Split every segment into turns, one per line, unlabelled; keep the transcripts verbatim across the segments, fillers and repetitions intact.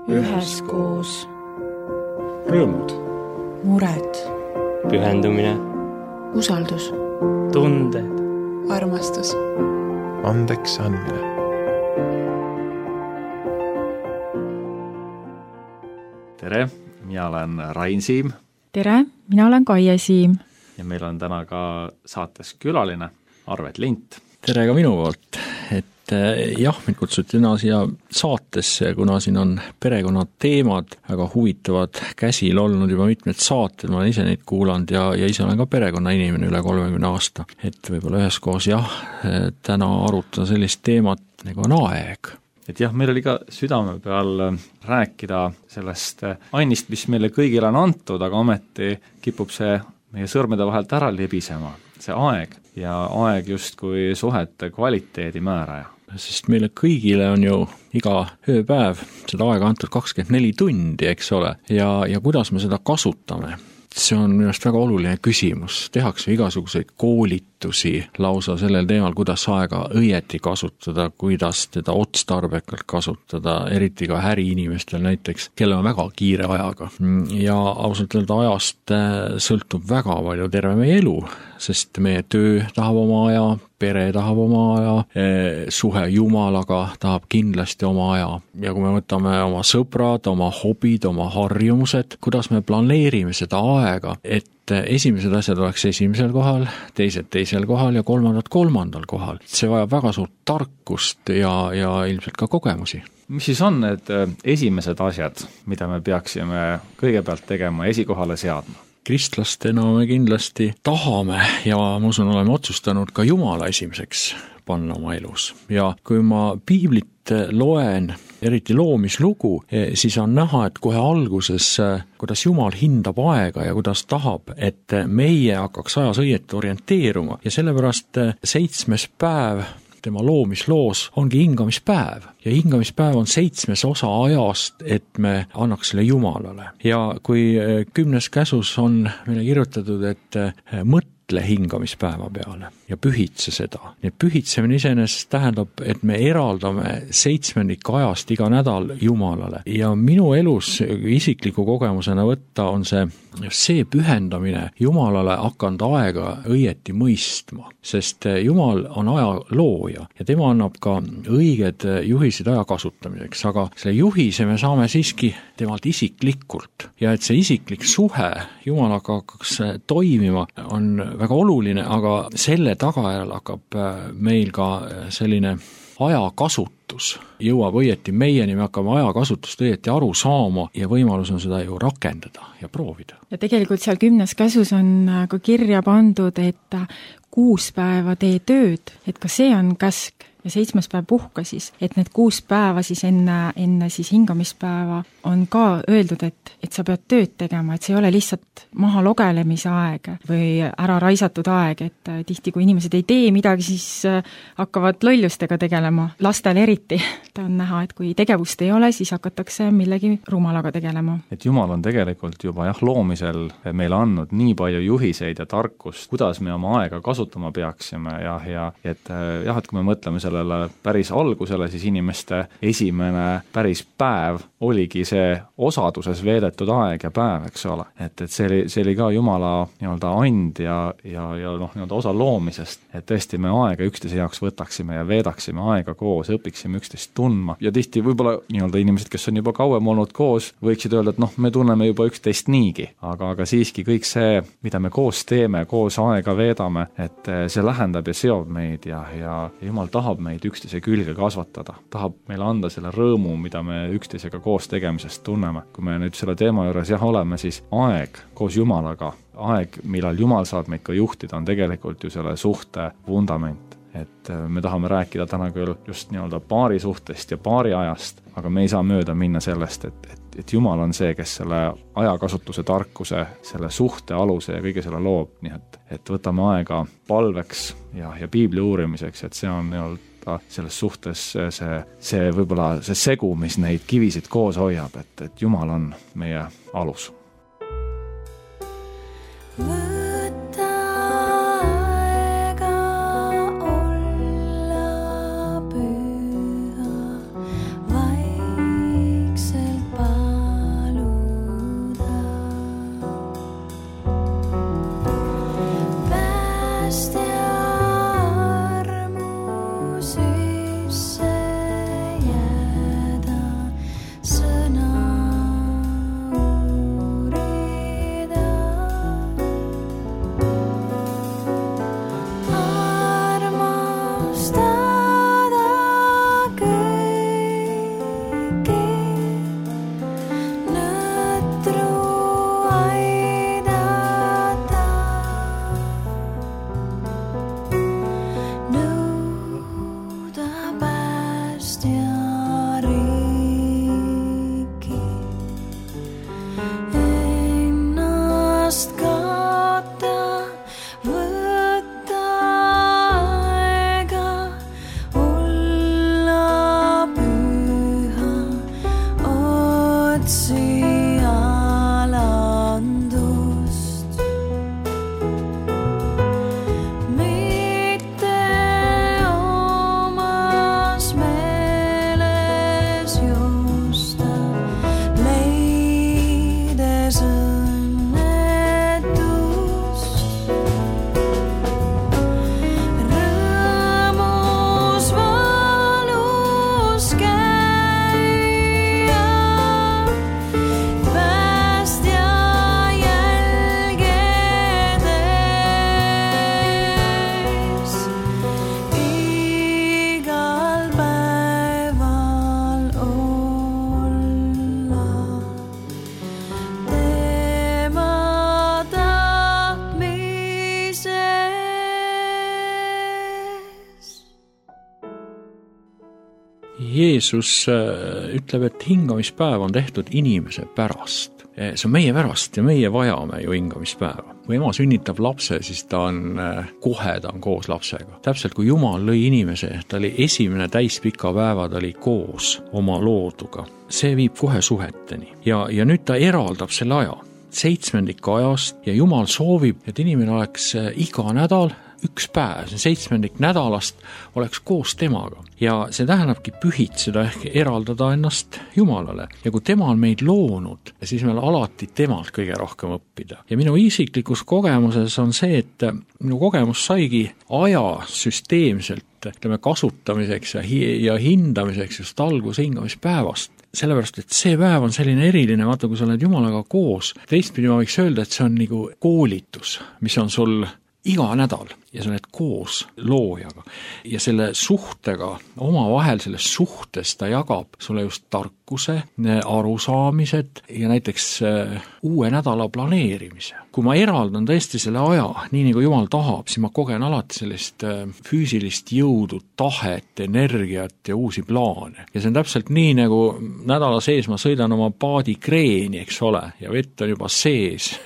üheskoos.
Rõõmud.
Mured.
Pühendumine.
Usaldus.
Tunded.
Armastus.
Andeks andmine.
Tere, mina olen Rain Siim.
Tere, mina olen Kaie Siim.
Ja meil on täna ka saates külaline Arvet Lint.
Tere ka minu poolt, et jah, mind kutsuti täna siia saatesse, kuna siin on perekonnateemad väga huvitavad käsil olnud juba mitmed saated, ma olen ise neid kuulanud ja, ja ise olen ka perekonnainimene üle kolmekümne aasta, et võib-olla üheskoos jah, täna arutada sellist teemat nagu on aeg.
Et jah, meil oli ka südame peal rääkida sellest ainist, mis meile kõigile on antud, aga ometi kipub see meie sõrmede vahelt ära libisema, see aeg ja aeg justkui suhete kvaliteedi määraja.
Sest meile kõigile on ju iga ööpäev seda aega antud kakskümmend neli tundi, eks ole, ja, ja kuidas me seda kasutame. See on minu arust väga oluline küsimus. Tehakse igasuguseid koolitusi lausa sellel teemal, kuidas aega õieti kasutada, kuidas teda otstarbekalt kasutada, eriti ka äriinimestel näiteks, kellel on väga kiire ajaga. Ja ausalt öelda ajast sõltub väga palju terve meie elu, sest meie töö tahab oma aja, pere tahab oma aja, suhe Jumalaga tahab kindlasti oma aja. Ja kui me võtame oma sõbrad, oma hobid, oma harjumused, kuidas me planeerime seda aega, et esimesed asjad oleks esimesel kohal, teised teisel kohal ja kolmandad kolmandal kohal. See vajab väga suurt tarkust ja, ja ilmselt ka kogemusi.
Mis siis on need esimesed asjad, mida me peaksime kõigepealt tegema, esikohale seadma?
Kristlastena me kindlasti tahame ja ma usun, oleme otsustanud ka Jumala esimeseks panna oma elus. Ja kui ma piiblit loen, eriti loomislugu, siis on näha, et kohe alguses, kuidas Jumal hindab aega ja kuidas tahab, et meie hakkaks ajas õieti orienteeruma. Ja sellepärast seitsmes päev tema loomisloos ongi hingamispäev. Ja hingamispäev on seitsmes osa ajast, et me annaks selle Jumalale. Ja kui kümnes käsus on meile kirjutatud, et mõtle hingamispäeva peale ja pühitse seda. Nii pühitsemine iseenesest tähendab, et me eraldame seitsmendik ajast iga nädal Jumalale. Ja minu elus isikliku kogemusena võtta on see, see pühendamine Jumalale hakanud aega õieti mõistma, sest Jumal on aja looja ja tema annab ka õiged juhisid aja kasutamiseks, aga selle juhise me saame siiski temalt isiklikult ja et see isiklik suhe Jumalaga hakkaks toimima on väga oluline, aga selle tagajärjel hakkab meil ka selline ajakasutus jõuab õieti meieni, me hakkame ajakasutust õieti aru saama ja võimalus on seda ju rakendada ja proovida.
Ja tegelikult seal kümnes käsus on ka kirja pandud, et kuus päeva tee tööd, et ka see on käsk ja seitsmes päev puhka siis, et need kuus päeva siis enne, enne siis hingamispäeva on ka öeldud, et, et sa pead tööd tegema, et see ei ole lihtsalt maha logelemise aeg või ära raisatud aeg, et tihti kui inimesed ei tee midagi, siis hakkavad lollustega tegelema, lastel eriti. Ta on näha, et kui tegevust ei ole, siis hakatakse millegi rumalaga tegelema.
Et Jumal on tegelikult juba jah, loomisel meile andnud nii palju juhiseid ja tarkust, kuidas me oma aega kasutama peaksime ja, ja et jah, et kui me mõtleme sellele päris algusele, siis inimeste esimene päris päev oligi see osaduses veedetud aeg ja päev, eks ole. Et, et see oli, see oli ka Jumala nii-öelda and ja, ja, ja noh, nii-öelda osa loomisest, et tõesti me aega üksteise jaoks võtaksime ja veedaksime aega koos, õpiksime üksteist tundma. Ja tihti võib-olla nii-öelda inimesed, kes on juba kauem olnud koos, võiksid öelda, et noh, me tunneme juba üksteist niigi, aga, aga siiski kõik see, mida me koos teeme, koos aega veedame, et see lähendab ja seob meid ja, ja Jumal tahab meid üksteise külge kasvatada, tahab meile anda selle rõõmu, mida me üksteisega koos tegemisest tunneme. Kui me nüüd selle teema juures jah oleme, siis aeg koos Jumalaga, aeg, millal Jumal saab meid ka juhtida, on tegelikult ju selle suhte vundament. Et me tahame rääkida täna küll just nii-öelda paari suhtest ja paari ajast, aga me ei saa mööda minna sellest, et, et, et Jumal on see, kes selle ajakasutuse tarkuse, selle suhte aluse ja kõige selle loob, nii et, et võtame aega palveks ja, ja piibli uurimiseks, et see on nii-öelda selles suhtes see, see võib-olla see segu, mis neid kivisid koos hoiab, et, et Jumal on meie alus.
Vaikselt otsi alandust. Mitte omas meeles juusta, leides õnnetust. Rõõmus valus käia, päästja jälgedes. Igal päeval olla tema tahtmises.
Jeesus ütleb, et hingamispäev on tehtud inimese pärast. See on meie pärast ja meie vajame ju hingamispäeva. Kui ema sünnitab lapse, siis ta on kohe, ta on koos lapsega. Täpselt kui Jumal lõi inimese, ta oli esimene täispika päeva, ta oli koos oma looduga. See viib kohe suheteni. Ja, ja nüüd ta eraldab selle aja, seitsmendik ajast, ja Jumal soovib, et inimene oleks iga nädal üks päev, see seitsmendik nädalast oleks koos temaga. Ja see tähendabki pühitseda ehk eraldada ennast Jumalale. Ja kui tema on meid loonud, siis meil alati temalt kõige rohkem õppida. Ja minu isiklikus kogemuses on see, et minu kogemus saigi aja süsteemselt ütleme, kasutamiseks ja, hi- ja hindamiseks just algus hingamispäevast. Sellepärast, et see päev on selline eriline, vaata, kui sa oled Jumalaga koos. Teistpidi ma võiks öelda, et see on nagu koolitus, mis on sul iga nädal ja sa oled koos loojaga ja selle suhtega, omavahel selles suhtes ta jagab sulle just tarkuse, arusaamised ja näiteks uue nädala planeerimise. Kui ma eraldan tõesti selle aja, nii nagu Jumal tahab, siis ma kogen alati sellist füüsilist jõudu, tahet, energiat ja uusi plaane. Ja see on täpselt nii, nagu nädala sees ma sõidan oma paadi kreeni, eks ole, ja vett on juba sees,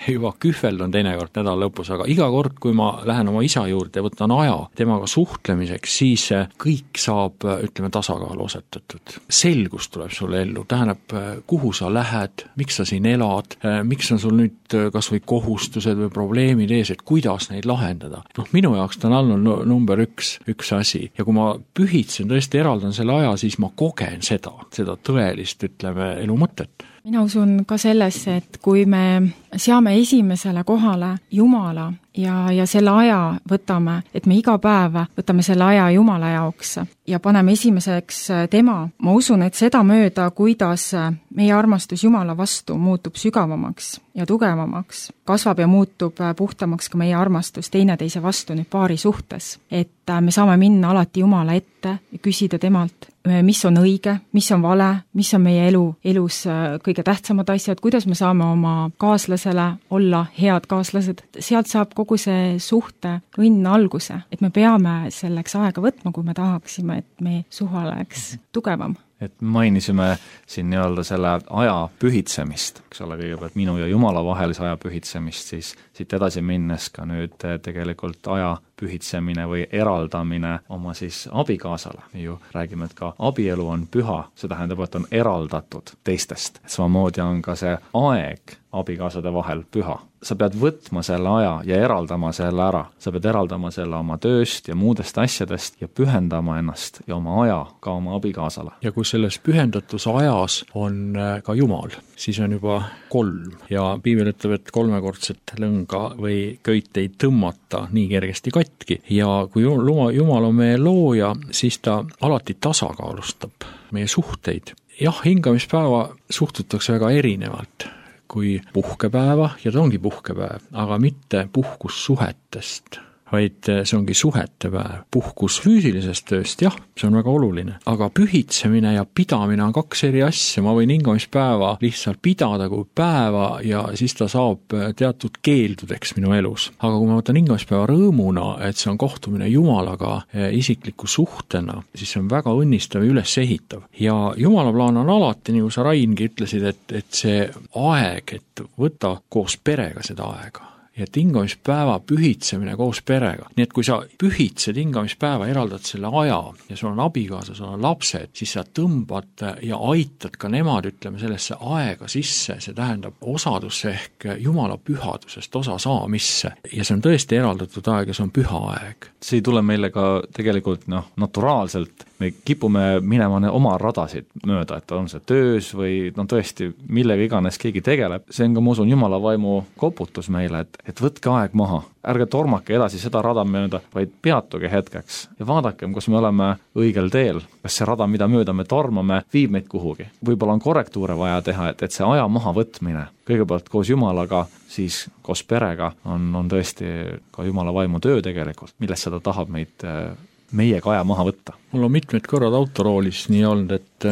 juba kühveldon teinekord nädala lõpus, aga iga kord, kui ma lähen oma isa juurde ja võtan aja temaga suhtlemiseks, siis kõik saab, ütleme, tasakaalu osetatud. Selgus tuleb sulle ellu, tähendab, kuhu sa lähed, miks sa siin elad, miks on sul nüüd kas või kohustused või probleemid ees, et kuidas neid lahendada. Noh, minu jaoks ta on olnud number üks, üks asi. Ja kui ma pühitsen, tõesti eraldan selle aja, siis ma kogen seda, seda tõelist, ütleme, elu mõtet.
Mina usun ka sellesse, et kui me seame esimesele kohale Jumala ja, ja selle aja võtame, et me iga päev võtame selle aja Jumala jaoks ja paneme esimeseks tema, ma usun, et seda mööda, kuidas meie armastus Jumala vastu muutub sügavamaks ja tugevamaks, kasvab ja muutub puhtamaks ka meie armastus teineteise vastu nüüd paari suhtes. Et me saame minna alati Jumala ette ja küsida temalt, mis on õige, mis on vale, mis on meie elu, elus kõige tähtsamad asjad, kuidas me saame oma kaaslasele olla head kaaslased. Sealt saab kogu see suhte õnn alguse, et me peame selleks aega võtma, kui me tahaksime, et meie suhe oleks tugevam.
Et mainisime siin nii-öelda selle aja pühitsemist, eks ole, kõigepealt minu ja Jumala vahelise aja pühitsemist, siis siit edasi minnes ka nüüd tegelikult aja pühitsemine või eraldamine oma siis abikaasale. Me ju räägime, et ka abielu on püha, see tähendab, et on eraldatud teistest. Samamoodi on ka see aeg abikaasade vahel püha. Sa pead võtma selle aja ja eraldama selle ära. Sa pead eraldama selle oma tööst ja muudest asjadest ja pühendama ennast ja oma aja ka oma abikaasale.
Ja kui selles pühendatuse ajas on ka Jumal, siis on juba kolm. Ja piibel ütleb, et kolmekordset lõnga või köit ei tõmmata nii kergesti katki. Ja kui Jumal on meie looja, siis ta alati tasakaalustab meie suhteid. Jah, hingamispäeva suhtutakse väga erinevalt kui puhkepäeva, ja ta ongi puhkepäev, aga mitte puhkus suhetest, vaid see ongi suhete päev. Puhkus füüsilisest tööst, jah, see on väga oluline, aga pühitsemine ja pidamine on kaks eri asja. Ma võin hingamispäeva lihtsalt pidada kui päeva ja siis ta saab teatud keeldudeks minu elus. Aga kui ma võtan hingamispäeva rõõmuna, et see on kohtumine Jumalaga isikliku suhtena, siis see on väga õnnistav ja üles ehitav. Ja Jumala plaan on alati, nagu sa Raingi ütlesid, et, et see aeg, et võtta koos perega seda aega. ja et hingamispäeva pühitsemine koos perega. Nii et kui sa pühitsed hingamispäeva, eraldad selle aja ja sul on abikaasa, sul on lapsed, siis sa tõmbad ja aitad ka nemad, ütleme, sellesse aega sisse, see tähendab osadusse ehk Jumala pühadusest osa saamisse. Ja see on tõesti eraldatud aeg ja see on püha aeg.
See ei tule meile ka tegelikult noh, naturaalselt, me kipume minema oma radasid mööda, et on see töös või no tõesti, millega iganes keegi tegeleb. See on ka, ma usun, Jumala vaimu koputus meile, et, et võtke aeg maha. Ärge tormake edasi seda rada mööda, vaid peatuge hetkeks ja vaadakem, kus me oleme õigel teel. Kas see rada, mida mööda me tormame, viib meid kuhugi. Võib-olla on korrektuure vaja teha, et, et see aja maha võtmine, kõigepealt koos Jumalaga, siis koos perega on, on tõesti ka Jumala vaimu töö tegelikult, millest seda tahab meid meiega aja maha võtta.
Mul on mitmed korrad autoroolis nii olnud, et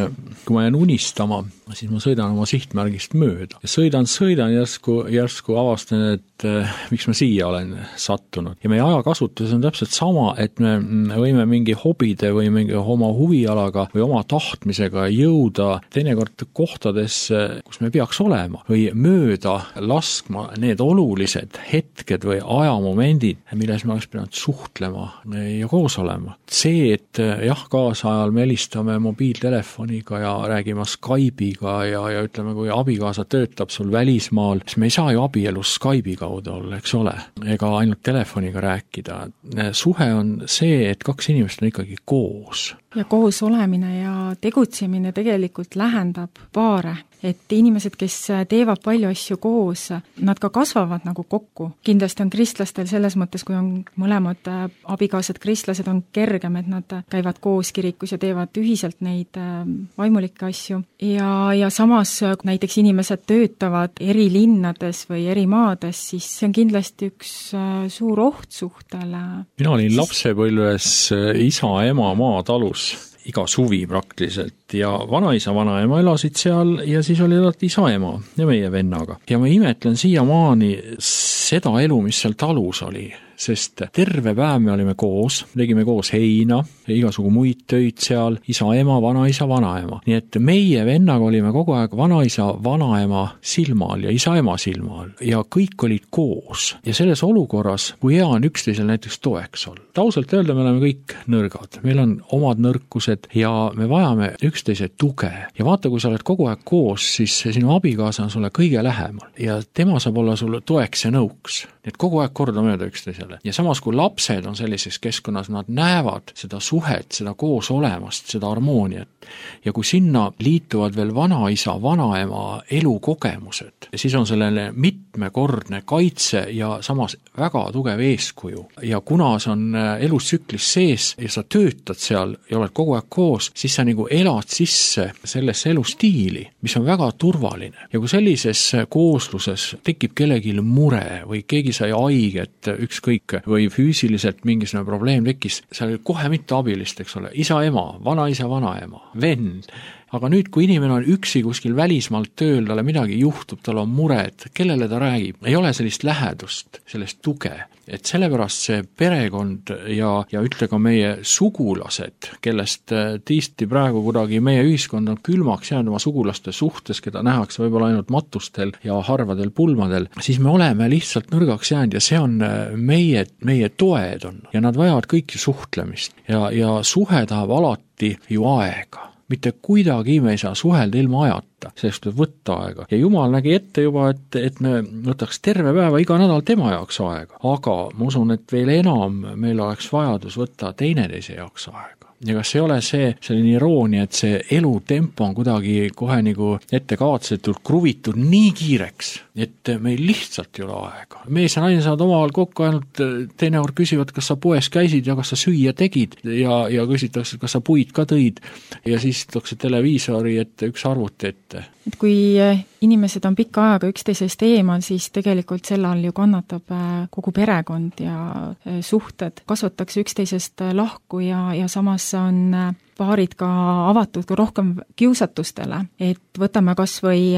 kui ma jään unistama, siis ma sõidan oma sihtmärgist mööda. Ja sõidan, sõidan, järsku, järsku avastan, et äh, miks ma siia olen sattunud. Ja meie ajakasutus on täpselt sama, et me võime mingi hobide või mingi oma huvialaga või oma tahtmisega jõuda teinekord kohtadesse, kus me peaks olema, või mööda laskma need olulised hetked või ajamomendid, milles me oleks pidanud suhtlema ja koos olema. See, et jah, kaasajal me helistame mobiiltelefoniga ja räägime Skype'iga ja, ja ütleme, kui abikaasa töötab sul välismaal, siis me ei saa ju abielus Skype'i kaudu olla, eks ole, ega ainult telefoniga rääkida. Suhe on see, et kaks inimest on ikkagi koos.
Ja koos olemine ja tegutsemine tegelikult lähendab paare, et inimesed, kes teevad palju asju koos, nad ka kasvavad nagu kokku. Kindlasti on kristlastel selles mõttes, kui on mõlemad abikaasad kristlased, on kergem, et nad käivad koos kirikus ja teevad ühiselt neid vaimulikke asju. Ja, ja samas näiteks inimesed töötavad eri linnades või eri maades, siis see on kindlasti üks suur oht suhtele.
Mina olin lapsepõlves isa, ema maatalus iga suvi praktiliselt ja vanaisa, vanaema elasid seal ja siis oli alati isa, ema ja meie vennaga. Ja ma imetlen siiamaani seda elu, mis seal talus oli, sest terve päev me olime koos, tegime koos heina ja igasugu muid töid seal, isa, ema, vanaisa, vanaema. Nii et meie vennaga olime kogu aeg vanaisa, vanaema silmal ja isa, ema silmal ja kõik olid koos. Ja selles olukorras, kui hea on üksteisel näiteks toeks olla. Tausalt öelda, me oleme kõik nõrgad. Meil on omad nõrkused ja me vajame üksteise tuge. Ja vaata, kui sa oled kogu aeg koos, siis sinu abikaasa on sulle kõige lähemal ja tema saab olla sulle toeks ja nõuks. Nii et kogu aeg korda mööda üksteisele. Ja samas, kui lapsed on sellises keskkonnas, nad näevad seda suhet, seda koos olemast, seda harmooniat. Ja kui sinna liituvad veel vanaisa, vanaema elukogemused, siis on sellele mitmekordne kaitse ja samas väga tugev eeskuju. Ja kuna see on elustsüklis sees ja sa töötad seal ja oled kogu aeg koos, siis sa nagu elad sisse sellesse elustiili, mis on väga turvaline. Ja kui sellises koosluses tekib kellelgi mure või keegi sai haiget, ükskõik, või füüsiliselt mingisugune probleem tekkis, seal oli kohe mitte abilist, eks ole, isa, ema, vanaisa, vanaema, vend. Aga nüüd, kui inimene on üksi kuskil välismaalt tööl, talle midagi juhtub, tal on mured, kellele ta räägib, ei ole sellist lähedust, sellist tuge. Et sellepärast see perekond ja, ja ütle ka meie sugulased, kellest tiisti praegu kuidagi meie ühiskond on külmaks jäänud oma sugulaste suhtes, keda nähakse võib-olla ainult matustel ja harvadel pulmadel, siis me oleme lihtsalt nõrgaks jäänud ja see on meie, meie toed on ja nad vajavad kõiki suhtlemist ja, ja suhe tahab alati ju aega. Mitte kuidagi me ei saa suhelda ilma ajata, sellest tuleb võtta aega. Ja Jumal nägi ette juba, et, et me võtaks terve päeva iga nädal tema jaoks aega. Aga ma usun, et veel enam meil oleks vajadus võtta teineteise jaoks aega. Ja kas ei ole see selline iroonia, et see elutempo on kuidagi kohe nagu ettekavatsetult kruvitud nii kiireks, et meil lihtsalt ei ole aega. Mees ja naine saavad omavahel kokku ainult teinekord küsivad, kas sa poes käisid ja kas sa süüa tegid ja, ja küsitakse, kas sa puid ka tõid ja siis tutakse televiisori ette üks arvuti ette.
Et kui inimesed on pikka aega üksteisest eemal, siis tegelikult selle all ju kannatab kogu perekond ja suhted. Kasvatakse üksteisest lahku ja, ja samas on paarid ka avatud ka rohkem kiusatustele, et võtame kas või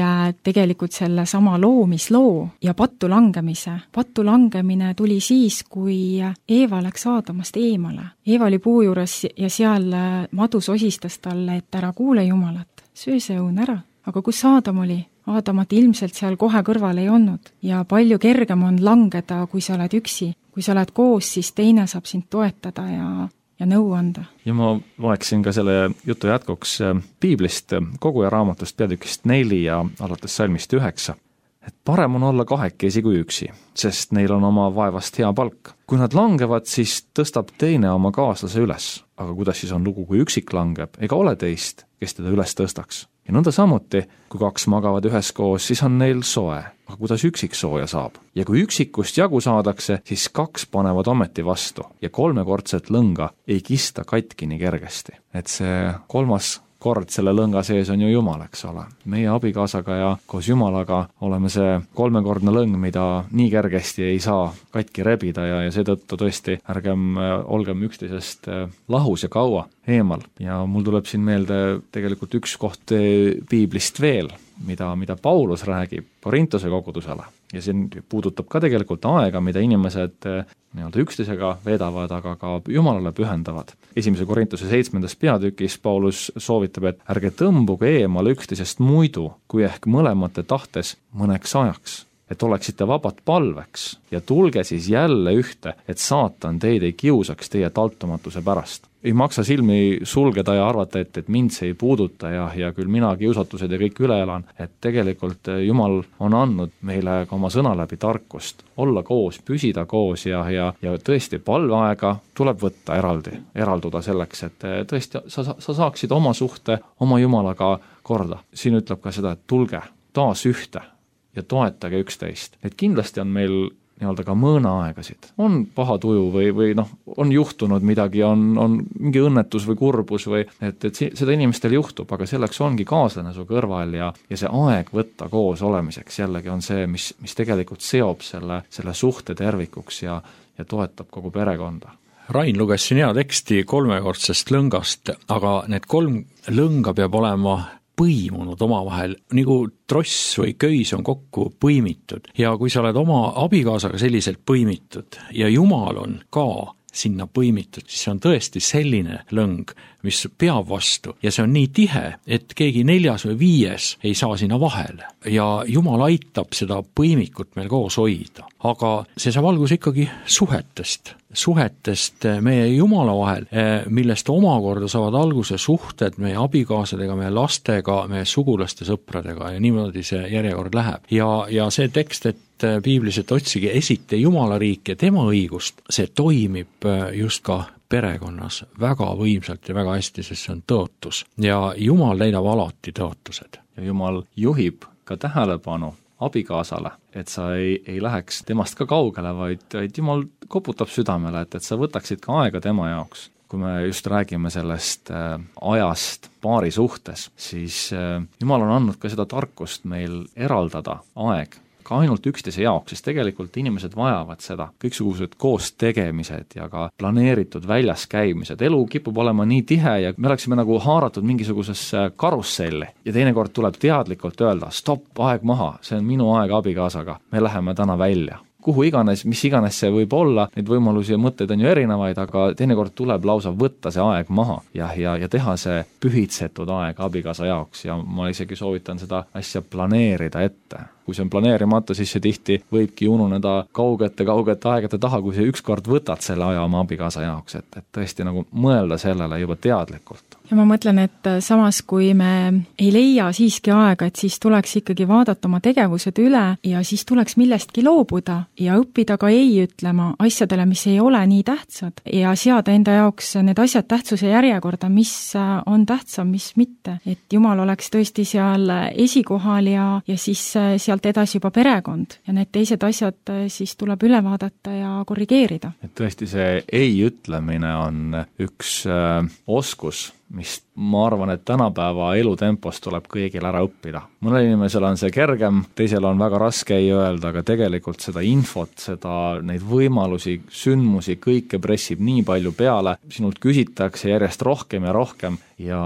tegelikult selle sama loomisloo ja pattu langemise. Pattu langemine tuli siis, kui Eeva läks Aadamast eemale. Eeva oli puu juures ja seal madu sosistas talle, et ära kuule Jumalat, söö see õun ära. Aga kus Aadam oli? Aadamat ilmselt seal kohe kõrval ei olnud ja palju kergem on langeda, kui sa oled üksi. Kui sa oled koos, siis teine saab sind toetada ja, ja nõu anda.
Ja ma loeksin ka selle jutu jätkuks piiblist, Koguja raamatust peatükist neli ja alates salmist üheksa. Et parem on olla kahekesi kui üksi, sest neil on oma vaevast hea palk. Kui nad langevad, siis tõstab teine oma kaaslase üles. Aga kuidas siis on lugu, kui üksik langeb, ega ole teist, kes teda üles tõstaks? Ja nõnda samuti, kui kaks magavad üheskoos, siis on neil soe. Aga kuidas üksik sooja saab? Ja kui üksikust jagu saadakse, siis kaks panevad ometi vastu ja kolmekordset lõnga ei kista katki nii kergesti. Et see kolmas kord selle lõnga sees on ju Jumal, eks ole. Meie abikaasaga ja koos Jumalaga oleme see kolmekordne lõng, mida nii kergesti ei saa katki rebida ja, ja seetõttu tõesti ärgem olgem üksteisest lahus ja kaua eemal. Ja mul tuleb siin meelde tegelikult üks koht piiblist veel, mida, mida Paulus räägib Korintuse kogudusele. Ja siin puudutab ka tegelikult aega, mida inimesed nii-öelda üksteisega vedavad, aga ka Jumalale pühendavad. Esimese Korintuse seitsmendas peatükis Paulus soovitab, et ärge tõmbuge eemale üksteisest muidu, kui ehk mõlemate tahtes mõneks ajaks, et oleksite vabad palveks ja tulge siis jälle ühte, et saatan teid ei kiusaks teie taltumatuse pärast. Ei maksa silmi sulgeda ja arvata, et, et mind see ei puuduta ja, ja küll mina kiusatused ja kõik üle elan, et tegelikult Jumal on andnud meile ka oma sõna läbi tarkust, olla koos, püsida koos ja, ja, ja tõesti palveaega tuleb võtta eraldi, eralduda selleks, et tõesti sa, sa saaksid oma suhte, oma Jumalaga korda. Siin ütleb ka seda, et tulge taas ühte ja toetage üksteist. Et kindlasti on meil nii-öelda ka mõõnaaegasid. On paha tuju või, või noh, on juhtunud midagi, on, on mingi õnnetus või kurbus või et, et seda inimestel juhtub, aga selleks ongi kaaslane su kõrval ja, ja see aeg võtta koos olemiseks jällegi on see, mis, mis tegelikult seob selle, selle suhte tervikuks ja, ja toetab kogu perekonda.
Rain luges siin hea teksti kolmekordsest lõngast, aga need kolm lõnga peab olema põimunud omavahel, nagu tross või köis on kokku põimitud ja kui sa oled oma abikaasaga selliselt põimitud ja Jumal on ka sinna põimitud, siis see on tõesti selline lõng, mis peab vastu ja see on nii tihe, et keegi neljas või viies ei saa sinna vahele ja Jumal aitab seda põimikut meil koos hoida. Aga see saab alguse ikkagi suhetest, suhetest meie Jumala vahel, millest omakorda saavad alguse suhted meie abikaasadega, meie lastega, meie sugulaste sõpradega ja niimoodi see järjekord läheb. Ja, ja see tekst, et piiblis, et otsige esite Jumala riik ja tema õigust, see toimib just ka perekonnas väga võimsalt ja väga hästi, sest see on tõotus. Ja Jumal leidab alati tõotused.
Ja Jumal juhib ka tähelepanu abikaasale, et sa ei, ei läheks temast ka kaugele, vaid, vaid Jumal koputab südamele, et, et sa võtaksid ka aega tema jaoks. Kui me just räägime sellest äh, ajast paari suhtes, siis äh, Jumal on andnud ka seda tarkust meil eraldada aeg ka ainult üksteise jaoks, sest tegelikult inimesed vajavad seda. Kõiksugused koos tegemised ja ka planeeritud väljas käimised. Elu kipub olema nii tihe ja me oleksime nagu haaratud mingisugusesse karusselli ja teinekord tuleb teadlikult öelda, stopp, aeg maha, see on minu aeg abikaasaga, me läheme täna välja. Kuhu iganes, mis iganes see võib olla, neid võimalusi ja mõtteid on ju erinevaid, aga teinekord tuleb lausa võtta see aeg maha ja, ja, ja teha see pühitsetud aeg abikaasa jaoks ja ma isegi soovitan seda asja planeerida ette. Kui see on planeerimata, siis see tihti võibki ununeda kaugete, kaugete aegade taha, kui see ükskord võtad selle aja oma abikaasa jaoks, et, et tõesti nagu mõelda sellele juba teadlikult.
Ja ma mõtlen, et samas kui me ei leia siiski aega, et siis tuleks ikkagi vaadata oma tegevused üle ja siis tuleks millestki loobuda ja õppida ka ei ütlema asjadele, mis ei ole nii tähtsad ja seada enda jaoks need asjad tähtsuse järjekorda, mis on tähtsam, mis mitte. Et Jumal oleks tõesti seal esikohal ja, ja siis sealt edasi juba perekond ja need teised asjad siis tuleb üle vaadata ja korrigeerida.
Et tõesti see ei ütlemine on üks äh, oskus, mis ma arvan, et tänapäeva elutempos tuleb kõigil ära õppida. Mõnel inimesel on see kergem, teisel on väga raske ei öelda, aga tegelikult seda infot, seda, neid võimalusi, sündmusi, kõike pressib nii palju peale, sinult küsitakse järjest rohkem ja rohkem ja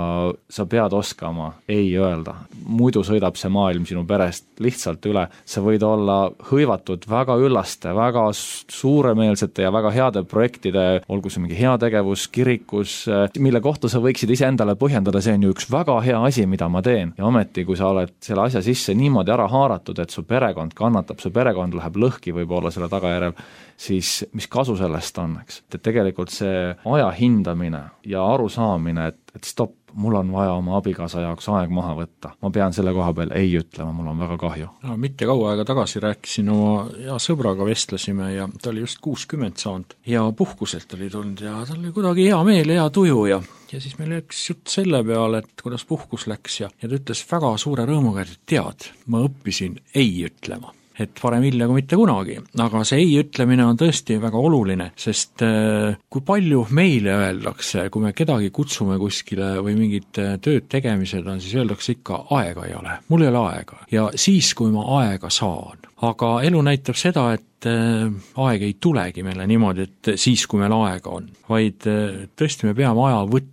sa pead oskama ei öelda. Muidu sõidab see maailm sinu perest lihtsalt üle. Sa võid olla hõivatud väga üllaste, väga suuremeelsete ja väga heade projektide, olgu see mingi heategevus, kirikus, mille kohta sa võiksid ise endale talle põhjendada, see on ju üks väga hea asi, mida ma teen, ja ometi, kui sa oled selle asja sisse niimoodi ära haaratud, et su perekond kannatab, su perekond läheb lõhki võib-olla selle tagajärjel, siis mis kasu sellest on, eks? Et tegelikult see aja hindamine ja arusaamine, et, et stopp, mul on vaja oma abikaasa jaoks aeg maha võtta. Ma pean selle koha peal ei ütlema, mul on väga kahju.
No, mitte kaua aega tagasi rääkisin oma hea sõbraga, vestlesime ja ta oli just kuuskümmend saanud ja puhkuselt oli tulnud ja tal oli kuidagi hea meel, hea tuju ja ja siis meil läks jutt selle peale, et kuidas puhkus läks ja, ja ta ütles väga suure rõõmuga, et tead, ma õppisin ei ütlema. Et parem hilja kui mitte kunagi, aga see ei ütlemine on tõesti väga oluline, sest kui palju meile öeldakse, kui me kedagi kutsume kuskile või mingid tööd tegemised on, siis öeldakse ikka, aega ei ole, mul ei ole aega ja siis, kui ma aega saan. Aga elu näitab seda, et aeg ei tulegi meile niimoodi, et siis, kui meil aega on, vaid tõesti me peame aja võtma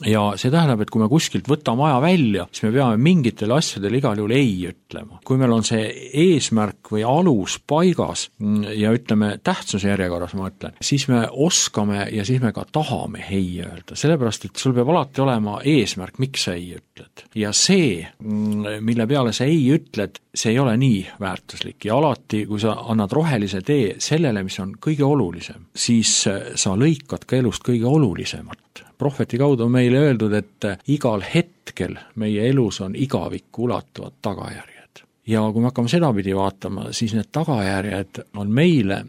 ja see tähendab, et kui me kuskilt võtame aja välja, siis me peame mingitele asjadele igal juhul ei ütlema. Kui meil on see eesmärk või alus paigas ja ütleme tähtsuse järjekorras, ma ütlen, siis me oskame ja siis me ka tahame ei öelda, sellepärast, et sul peab alati olema eesmärk, miks sa ei ütled. Ja see, mille peale sa ei ütled, see ei ole nii väärtuslik ja alati, kui sa annad rohelise tee sellele, mis on kõige olulisem, siis sa lõikad ka elust kõige olulisemat. Prohveti kaudu on meile öeldud, et igal hetkel meie elus on igavikku ulatuvad tagajärjed. Ja kui me hakkame sedapidi vaatama, siis need tagajärjed on meile,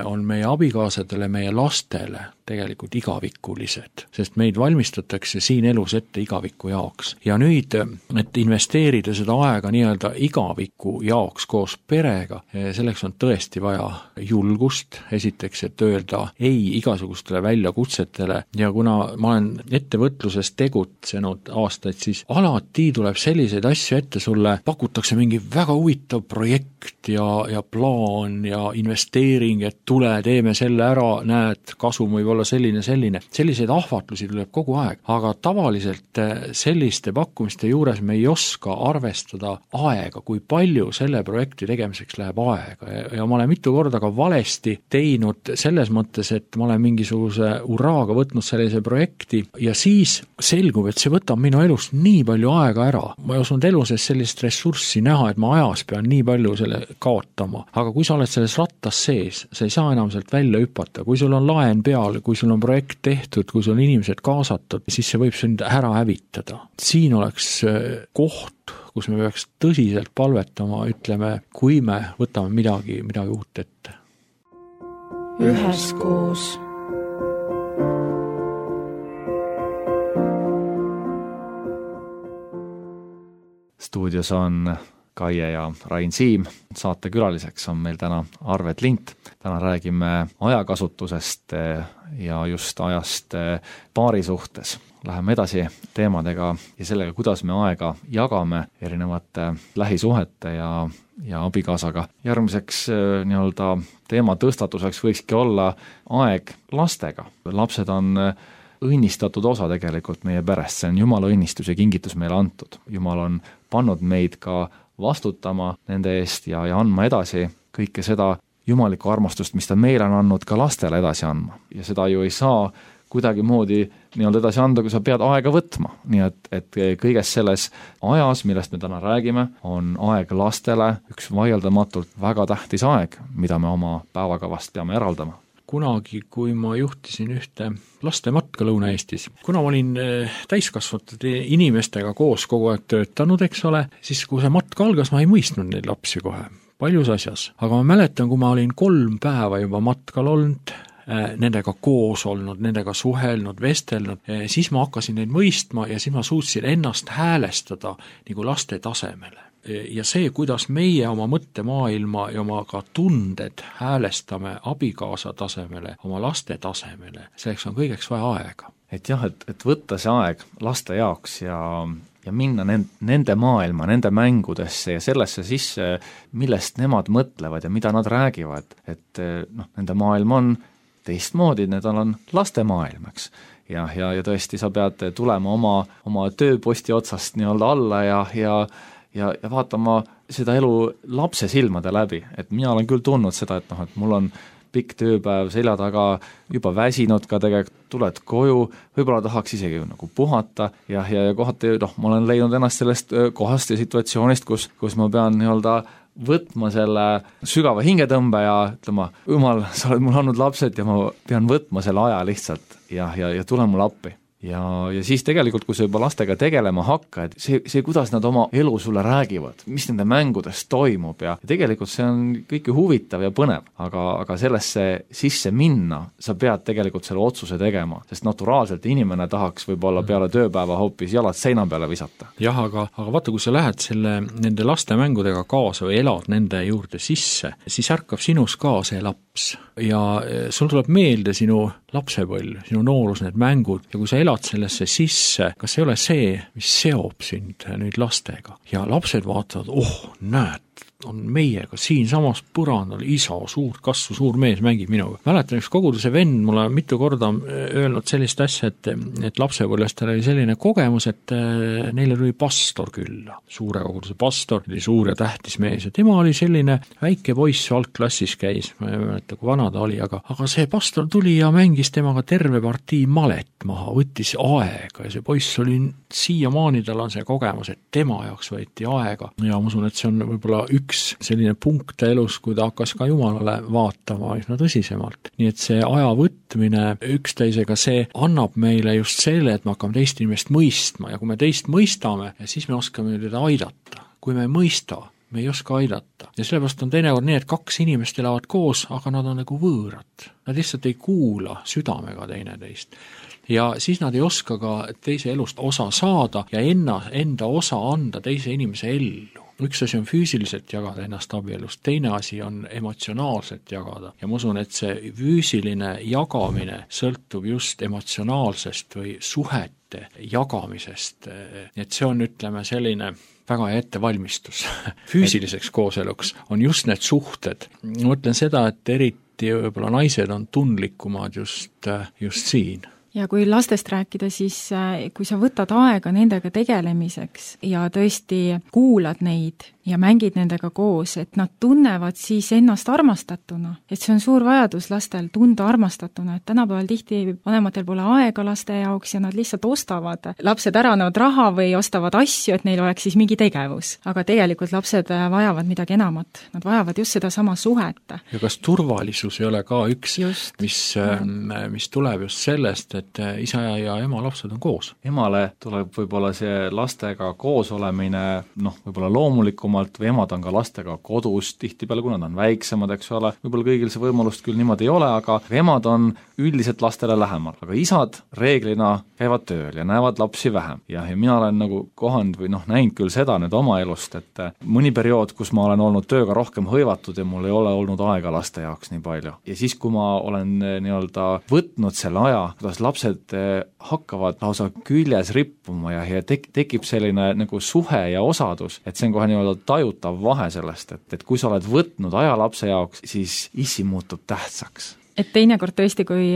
on meie abikaasadele, meie lastele tegelikult igavikulised, sest meid valmistatakse siin elus ette igaviku jaoks. Ja nüüd, et investeerida seda aega nii-öelda igaviku jaoks koos perega, selleks on tõesti vaja julgust, esiteks, et öelda ei igasugustele väljakutsetele ja kuna ma olen ettevõtluses tegutsenud aastaid, siis alati tuleb selliseid asju ette, sulle pakutakse mingi väga huvitav projekt ja, ja plaan ja investeering, et tule, teeme selle ära, näed, kasum võib olla selline, selline. Selliseid ahvatlusi tuleb kogu aeg, aga tavaliselt selliste pakkumiste juures me ei oska arvestada aega, kui palju selle projekti tegemiseks läheb aega ja, ja ma olen mitu korda ka valesti teinud selles mõttes, et ma olen mingisuguse uraaga võtnud sellise projekti ja siis selgub, et see võtab minu elust nii palju aega ära. Ma ei osanud elu sees sellist ressurssi näha, et ma ajas pean nii palju selle kaotama, aga kui sa oled selles rattas sees, sa ei saa enam sealt välja hüpata, kui sul on laen peal, kui sul on projekt tehtud, kui sul on inimesed kaasatud, siis see võib sind ära hävitada. Siin oleks koht, kus me peaks tõsiselt palvetama, ütleme, kui me võtame midagi, midagi uut ette.
Üheskoos.
Stuudios on Kaie ja Rain Siim, saate külaliseks on meil täna Arvet Lint. Täna räägime ajakasutusest ja just ajast paari suhtes. Läheme edasi teemadega ja sellega, kuidas me aega jagame erinevate lähisuhete ja, ja abikaasaga. Järgmiseks nii-öelda teema tõstatuseks võikski olla aeg lastega. Lapsed on õnnistatud osa tegelikult meie perest, see on Jumala õnnistus ja kingitus meile antud. Jumal on pannud meid ka vastutama nende eest ja, ja andma edasi kõike seda jumalikku armastust, mis ta meile on andnud ka lastele edasi andma. Ja seda ju ei saa kuidagi moodi nii-öelda edasi anda, kui sa pead aega võtma. Nii et, et kõiges selles ajas, millest me täna räägime, on aeg lastele üks vaieldamatult väga tähtis aeg, mida me oma päevakavast peame eraldama.
Kunagi, kui ma juhtisin ühte lastematka Lõuna-Eestis, kuna ma olin täiskasvatud inimestega koos kogu aeg töötanud, eks ole, siis kui see matka algas, ma ei mõistnud neid lapsi kohe, paljus asjas. Aga ma mäletan, kui ma olin kolm päeva juba matkal olnud, nendega koos olnud, nendega suhelnud, vestelnud, siis ma hakkasin neid mõistma ja siis ma suutsin ennast häälestada nagu laste tasemele. Ja see, kuidas meie oma mõttemaailma ja oma ka tunded häälestame abikaasa tasemele, oma laste tasemele, selleks on kõigeks vaja aega.
Et jah, et, et võtta see aeg laste jaoks ja, ja minna nende maailma, nende mängudesse ja sellesse sisse, millest nemad mõtlevad ja mida nad räägivad. Et noh, nende maailm on teistmoodi, need on laste maailm, eks. Ja, ja, ja tõesti, sa pead tulema oma, oma tööposti otsast nii-öelda alla ja, ja Ja, ja vaatama seda elu lapse silmade läbi, et mina olen küll tundnud seda, et noh, et mul on pikk tööpäev selja taga, juba väsinud ka tegelikult, tuled koju, võib-olla tahaks isegi nagu puhata ja, ja, ja kohati, noh, ma olen leidnud ennast sellest kohast ja situatsioonist, kus, kus ma pean nii-öelda võtma selle sügava hingetõmbe ja ütlema, jumal, sa oled mul andnud lapsed ja ma pean võtma selle aja lihtsalt ja, ja, ja tule mulle appi. Ja, ja siis tegelikult, kui sa juba lastega tegelema hakkad, see, see, kuidas nad oma elu sulle räägivad, mis nende mängudes toimub ja, ja tegelikult see on kõik huvitav ja põnev, aga, aga sellesse sisse minna, sa pead tegelikult selle otsuse tegema, sest naturaalselt inimene tahaks võib-olla peale tööpäeva hoopis jalad seina peale visata.
jah, aga, aga vaata, kui sa lähed selle, nende laste mängudega kaasa või elad nende juurde sisse, siis ärkab sinus ka see laps ja sul tuleb meelde sinu lapsepõlv, sinu noorus, need mängud ja kui sa elad sellesse sisse, kas ei ole see, mis seob sind nüüd lastega ja lapsed vaatavad, oh, näed, on meiega siinsamas põrandal isa, suurt kasvu, suur mees mängib minuga. Mäletan, üks koguduse vend mulle mitu korda öelnud sellist asja, et, et lapsepõlvest tal oli selline kogemus, et neile tuli pastor külla. Suure koguduse pastor, oli suur ja tähtis mees ja tema oli selline väike poiss, algklassis käis, ma ei mäleta, kui vana ta oli, aga, aga see pastor tuli ja mängis temaga terve partii malet maha, võttis aega ja see poiss oli siiamaani, tal on see kogemus, et tema jaoks võeti aega ja ma usun, et see on võib-olla üks selline punkt elus, kui ta hakkas ka Jumalale vaatama üsna tõsisemalt. Nii et see aja võtmine üksteisega, see annab meile just selle, et me hakkame teist inimest mõistma ja kui me teist mõistame, siis me oskame teda aidata. Kui me ei mõista, me ei oska aidata. Ja sellepärast on teinekord nii, et kaks inimest elavad koos, aga nad on nagu võõrad. Nad lihtsalt ei kuula südamega teineteist. Ja siis nad ei oska ka teise elust osa saada ja enna, enda osa anda teise inimese ellu. Üks asi on füüsiliselt jagada ennast abielust, teine asi on emotsionaalselt jagada. Ja ma usun, et see füüsiline jagamine sõltub just emotsionaalsest või suhete jagamisest. Et see on, ütleme, selline väga hea ettevalmistus. Füüsiliseks kooseluks on just need suhted. Ma mõtlen seda, et eriti võib-olla naised on tundlikumad just, just siin.
Ja kui lastest rääkida, siis kui sa võtad aega nendega tegelemiseks ja tõesti kuulad neid ja mängid nendega koos, et nad tunnevad siis ennast armastatuna. Et see on suur vajadus lastel tunda armastatuna, et tänapäeval tihti vanematel pole aega laste jaoks ja nad lihtsalt ostavad. Lapsed ära annavad raha või ostavad asju, et neil oleks siis mingi tegevus. Aga tegelikult lapsed vajavad midagi enamat. Nad vajavad just seda sama suhet.
Ja kas turvalisus ei ole ka üks, just, mis, mis tuleb just sellest, et isa ja ema lapsed on koos?
Emale tuleb võib-olla see lastega koos olemine, noh, võib-olla loomulikum või emad on ka lastega kodus tihtipeale, kui nad on väiksemad, eks ole. Võib-olla kõigil see võimalust küll niimoodi ei ole, aga emad on üldiselt lastele lähemal. Aga isad reeglina käivad tööl ja näevad lapsi vähem. Ja, ja mina olen nagu kohanud või noh, näinud küll seda nüüd oma elust, et mõni periood, kus ma olen olnud tööga rohkem hõivatud ja mul ei ole olnud aega laste jaoks nii palju. Ja siis, kui ma olen nii-öelda võtnud selle aja, kuidas lapsed hakkavad lausa küljes rippuma ja, ja tek- tekib selline nagu suhe ja osadus, et see on kohe nii-öelda tajutav vahe sellest, et, et kui sa oled võtnud aja lapse jaoks, siis issi muutub tähtsaks.
Et teinekord tõesti, kui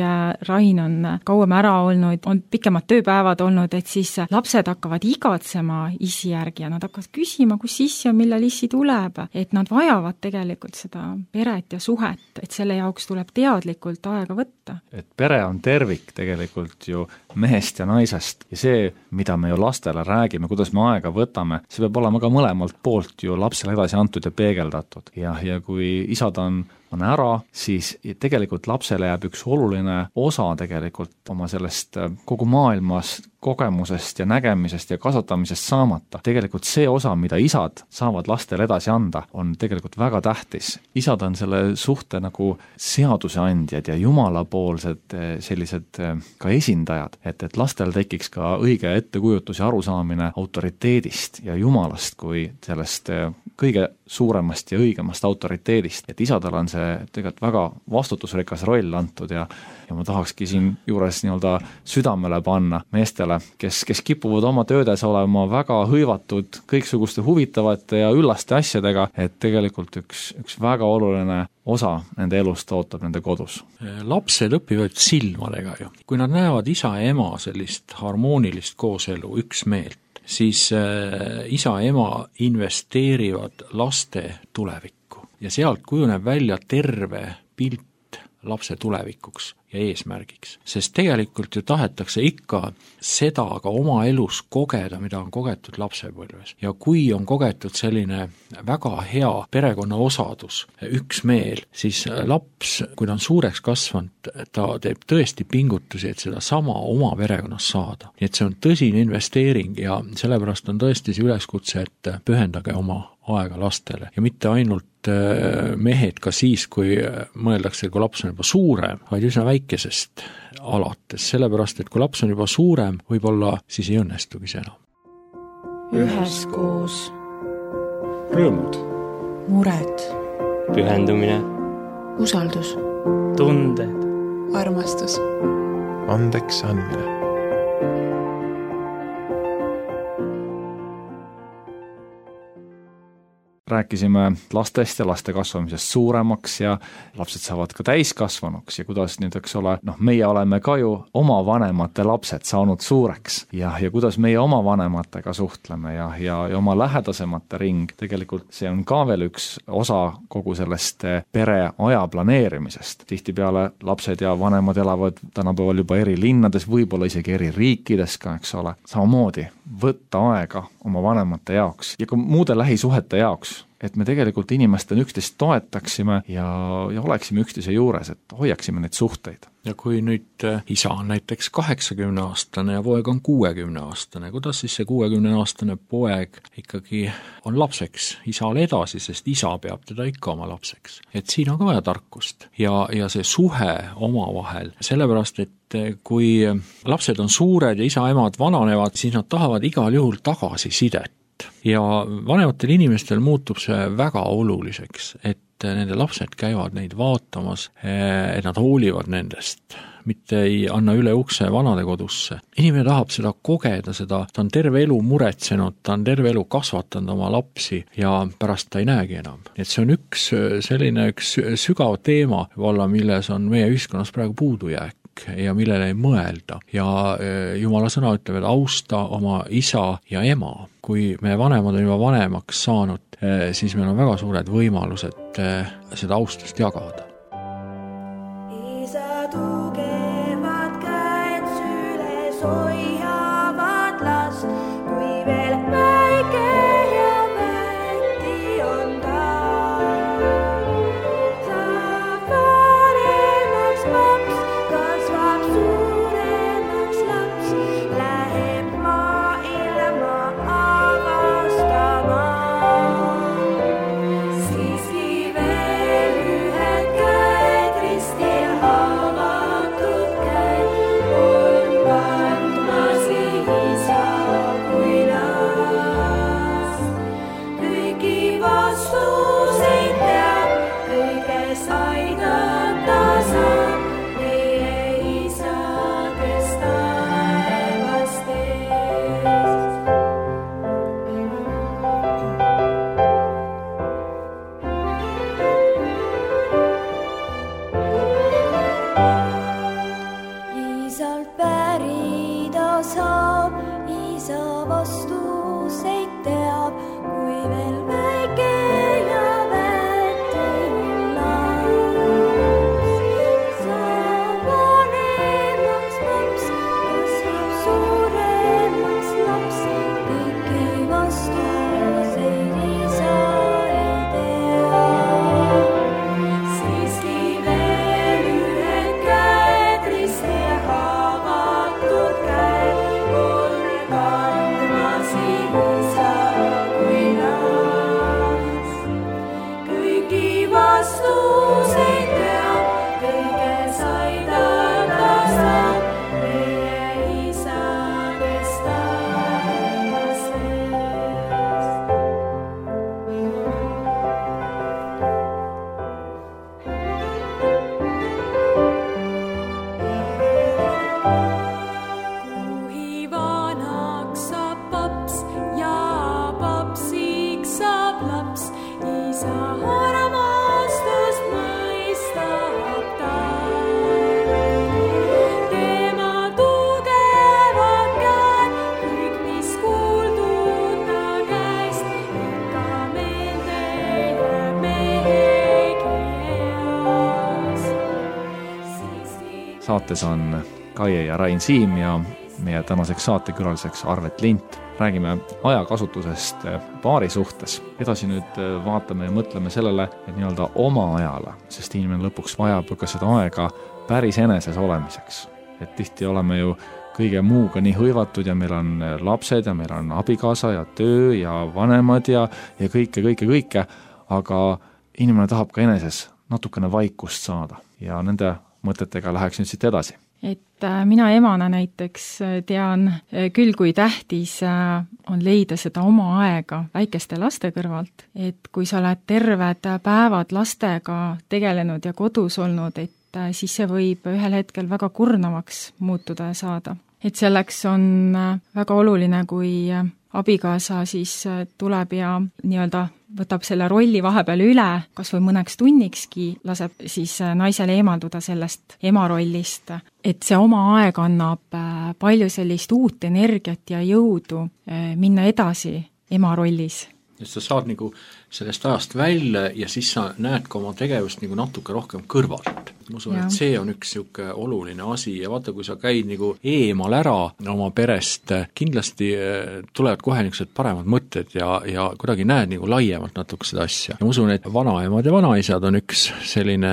Rain on kauem ära olnud, on pikemad tööpäevad olnud, et siis lapsed hakkavad igatsema isi järgi ja nad hakkavad küsima, kus issi on, millal issi tuleb. Et nad vajavad tegelikult seda peret ja suhet, et selle jaoks tuleb teadlikult aega võtta.
Et pere on tervik tegelikult ju mehest ja naisest ja see, mida me ju lastele räägime, kuidas me aega võtame, see peab olema ka mõlemalt poolt ju lapsele edasi antud ja peegeldatud. Ja, ja kui isad on on ära, siis tegelikult lapsele jääb üks oluline osa tegelikult oma sellest kogu maailmas kogemusest ja nägemisest ja kasvatamisest saamata. Tegelikult see osa, mida isad saavad lastele edasi anda, on tegelikult väga tähtis. Isad on selle suhte nagu seaduseandjad ja jumalapoolsed sellised ka esindajad, et, et lastel tekiks ka õige ettekujutus ja arusaamine autoriteedist ja jumalast kui sellest kõige suuremast ja õigemast autoriteedist. Et isadel on see tegelikult väga vastutusrikas roll antud ja, ja ma tahakski siin juures nii-öelda südamele panna meestele, kes, kes kipuvad oma töödes olema väga hõivatud kõiksuguste huvitavate ja üllaste asjadega, et tegelikult üks, üks väga oluline osa nende elust ootab nende kodus.
Lapsed õpivad silmadega ju. Kui nad näevad isa ja ema sellist harmoonilist kooselu, üksmeelt, siis äh, isa ja ema investeerivad laste tulevikku ja sealt kujuneb välja terve pilt lapse tulevikuks ja eesmärgiks. Sest tegelikult ju tahetakse ikka seda ka oma elus kogeda, mida on kogetud lapsepõlves. Ja kui on kogetud selline väga hea perekonna osadus, üksmeel, siis laps, kui ta on suureks kasvanud, ta teeb tõesti pingutusi, et seda sama oma perekonnas saada. Nii et see on tõsine investeering ja sellepärast on tõesti see üleskutse, et pühendage oma aega lastele ja mitte ainult mehed ka siis, kui mõeldakse, kui laps on juba suurem, vaid üsna väikesest alates, sellepärast, et kui laps on juba suurem, võib-olla siis ei õnnestugi see enam.
Üheskoos.
Rõõmud.
Mured.
Pühendumine.
Usaldus.
Tunded.
Armastus.
Andeks andmine.
Rääkisime lastest ja laste kasvamisest suuremaks ja lapsed saavad ka täiskasvanuks ja kuidas nüüd, eks ole, noh, meie oleme ka ju oma vanemate lapsed saanud suureks ja, ja kuidas meie oma vanematega suhtleme ja, ja, ja oma lähedasemate ring, tegelikult see on ka veel üks osa kogu sellest pere aja planeerimisest. Tihtipeale lapsed ja vanemad elavad tänapäeval juba eri linnades, võib-olla isegi eri riikides ka, eks ole. Samamoodi võtta aega oma vanemate jaoks ja ka muude lähisuhete jaoks, et me tegelikult inimestena üksteist toetaksime ja, ja oleksime üksteise juures, et hoiaksime neid suhteid.
Ja kui nüüd isa on näiteks kaheksakümne aastane ja poeg on kuuekümne aastane, kuidas siis see kuuekümne aastane poeg ikkagi on lapseks isale edasi, sest isa peab teda ikka oma lapseks. Et siin on ka vaja tarkust ja, ja see suhe oma vahel, sellepärast, et kui lapsed on suured ja isa-emad vananevad, siis nad tahavad igal juhul tagasi sidet. Ja vanematel inimestel muutub see väga oluliseks, et nende lapsed käivad neid vaatamas, et nad hoolivad nendest, mitte ei anna üle ukse vanade kodusse. Inimene tahab seda kogeda, seda, ta on terve elu muretsenud, ta on terve elu kasvatanud oma lapsi ja pärast ta ei näegi enam. Et see on üks selline üks sügav teema, valla, milles on meie ühiskonnas praegu puudujääk ja millele ei mõelda. Ja Jumala sõna ütleb, et austa oma isa ja ema. Kui me vanemad on juba vanemaks saanud, siis meil on väga suured võimalused seda austust jagada.
Isa tugevad käed süles hoiavad last, kui veel väike ja väeti on ta. Saab vanemaks paps, kasvab suuremaks laps, läheb maailma avastama. Siiski veel ühed
saates on Kaie ja Rain Siim ja meie tänaseks saatekülaliseks Arvet Lint. Räägime ajakasutusest paari suhtes. Edasi nüüd vaatame ja mõtleme sellele, et nii-öelda oma ajale, sest inimene lõpuks vajab ka seda aega päris eneses olemiseks. Et tihti oleme ju kõige muuga nii hõivatud ja meil on lapsed ja meil on abikaasa ja töö ja vanemad ja, ja kõike, kõike, kõike, aga inimene tahab ka eneses natukene vaikust saada ja nende mõtetega läheks nüüd siit edasi.
Et mina emana näiteks tean küll, kui tähtis on leida seda oma aega väikeste laste kõrvalt, et kui sa oled terved päevad lastega tegelenud ja kodus olnud, et siis see võib ühel hetkel väga kurnavaks muutuda ja saada. Et selleks on väga oluline, kui abikaasa siis tuleb ja nii-öelda võtab selle rolli vahepeal üle, kas või mõneks tunnikski laseb siis naisele eemalduda sellest ema rollist, et see oma aeg annab palju sellist uut energiat ja jõudu minna edasi ema rollis.
Et sa saad nagu sellest ajast välja ja siis sa näed ka oma tegevust nagu natuke rohkem kõrvalt. Ma usun, et see on üks siuke oluline asi ja vaata, kui sa käid nagu eemal ära oma perest, kindlasti tulevad kohe niisugused paremad mõtted ja, ja kuidagi näed nagu laiemalt natuke seda asja. Ja ma usun, et vanaemad ja vanaisad on üks selline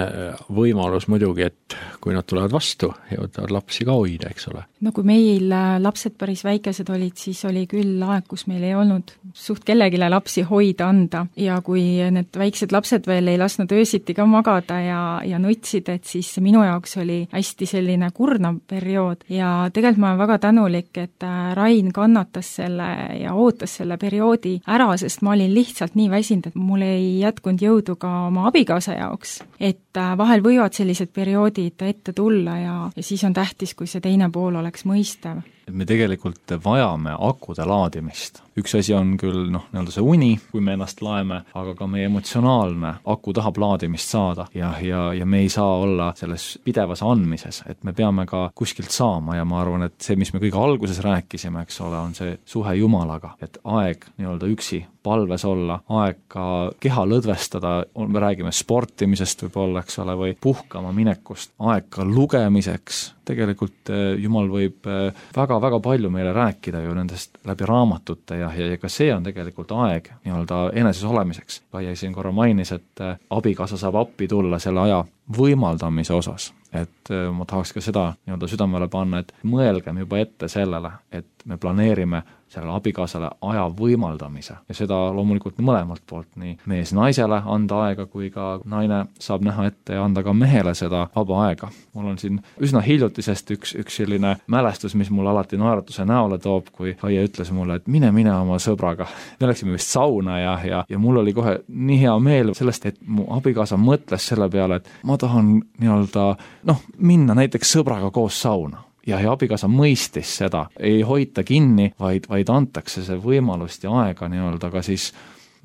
võimalus muidugi, et kui nad tulevad vastu ja võtavad lapsi ka hoida, eks ole.
No kui meil lapsed päris väikesed olid, siis oli küll aeg, kus meil ei olnud suht kellegile lapsi hoida anda ja kui need väiksed lapsed veel ei lasknud öösiti ka magada ja, ja nutsid, et siis minu jaoks oli hästi selline kurnav periood ja tegelikult ma olen väga tänulik, et Rain kannatas selle ja ootas selle perioodi ära, sest ma olin lihtsalt nii väsinud, et mul ei jätkunud jõudu ka oma abikaasa jaoks. Et vahel võivad sellised perioodid ette tulla ja, ja siis on tähtis, kui see teine pool oleks mõistev.
Et me tegelikult vajame akude laadimist. Üks asi on küll noh, nii-öelda see uni, kui me ennast laeme, aga ka meie emotsionaalne aku tahab laadimist saada ja, ja, ja me ei saa olla selles pidevas andmises, et me peame ka kuskilt saama ja ma arvan, et see, mis me kõige alguses rääkisime, eks ole, on see suhe Jumalaga, et aeg nii-öelda üksi palves olla, aeg ka keha lõdvestada, me räägime sportimisest võib-olla, eks ole, või puhkama minekust, aeg ka lugemiseks, tegelikult Jumal võib väga-väga palju meile rääkida ju nendest läbi raamatute ja, ja, ja ka see on tegelikult aeg nii-öelda eneses olemiseks. Kaie siin korra mainis, et abikaasa saab appi tulla selle aja võimaldamise osas, et ma tahaks ka seda nii-öelda südamele panna, et mõelgem juba ette sellele, et me planeerime sellele abikaasale aja võimaldamise ja seda loomulikult mõlemalt poolt, nii mees naisele anda aega, kui ka naine saab näha ette ja anda ka mehele seda vaba aega. Mul on siin üsna hiljutisest üks, üks selline mälestus, mis mul alati naeratuse näole toob, kui Kaie ütles mulle, et mine, mine oma sõbraga. Me läksime vist sauna ja, ja, ja mul oli kohe nii hea meel sellest, et mu abikaasa mõtles selle peale, et ma tahan nii-öelda noh, minna näiteks sõbraga koos sauna. Ja, ja abikaasa mõistis seda, ei hoita kinni, vaid, vaid antakse see võimalust ja aega nii-öelda ka siis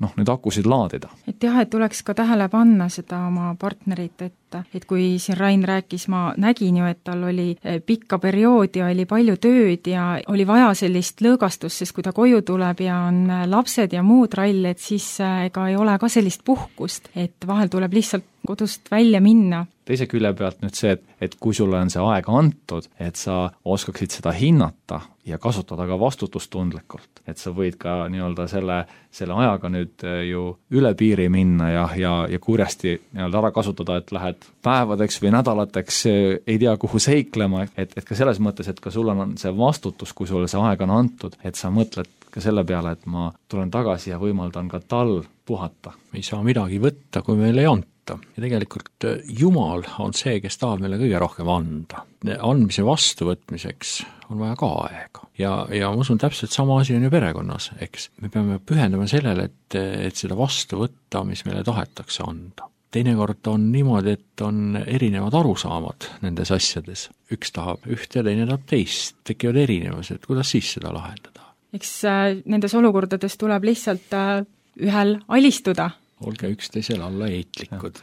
noh, nüüd akusid laadida.
Et jah, et tuleks ka tähele panna seda oma partnerit, et, et kui siin Rain rääkis, ma nägin ju, et tal oli pikka perioodi, oli palju tööd ja oli vaja sellist lõõgastust, sest kui ta koju tuleb ja on lapsed ja muud rall, et siis ega ei ole ka sellist puhkust, et vahel tuleb lihtsalt kodust välja minna.
Teise külje pealt nüüd see, et, et kui sulle on see aeg antud, et sa oskaksid seda hinnata ja kasutada ka vastutustundlikult, et sa võid ka nii-öelda selle, selle ajaga nüüd ju üle piiri minna ja, ja, ja kurjasti nii-öelda ära kasutada, et lähed päevadeks või nädalateks ei tea kuhu seiklema, et, et ka selles mõttes, et ka sul on see vastutus, kui sulle see aeg on antud, et sa mõtled ka selle peale, et ma tulen tagasi ja võimaldan ka tal puhata.
Me ei saa midagi võtta, kui meil ei anta. Ja tegelikult Jumal on see, kes tahab meile kõige rohkem anda. Andmise vastuvõtmiseks on vaja ka aega. Ja, ja ma usun, täpselt sama asi on ju perekonnas, eks. Me peame pühendama sellele, et, et seda vastu võtta, mis meile tahetakse anda. Teinekord on niimoodi, et on erinevad arusaamad nendes asjades. Üks tahab ühte ja teine tahab teist. Tekivad erinevused, kuidas siis seda lahendada?
Eks äh, nendes olukordades tuleb lihtsalt äh, ühel alistuda.
Olge üksteisel alla eitlikud.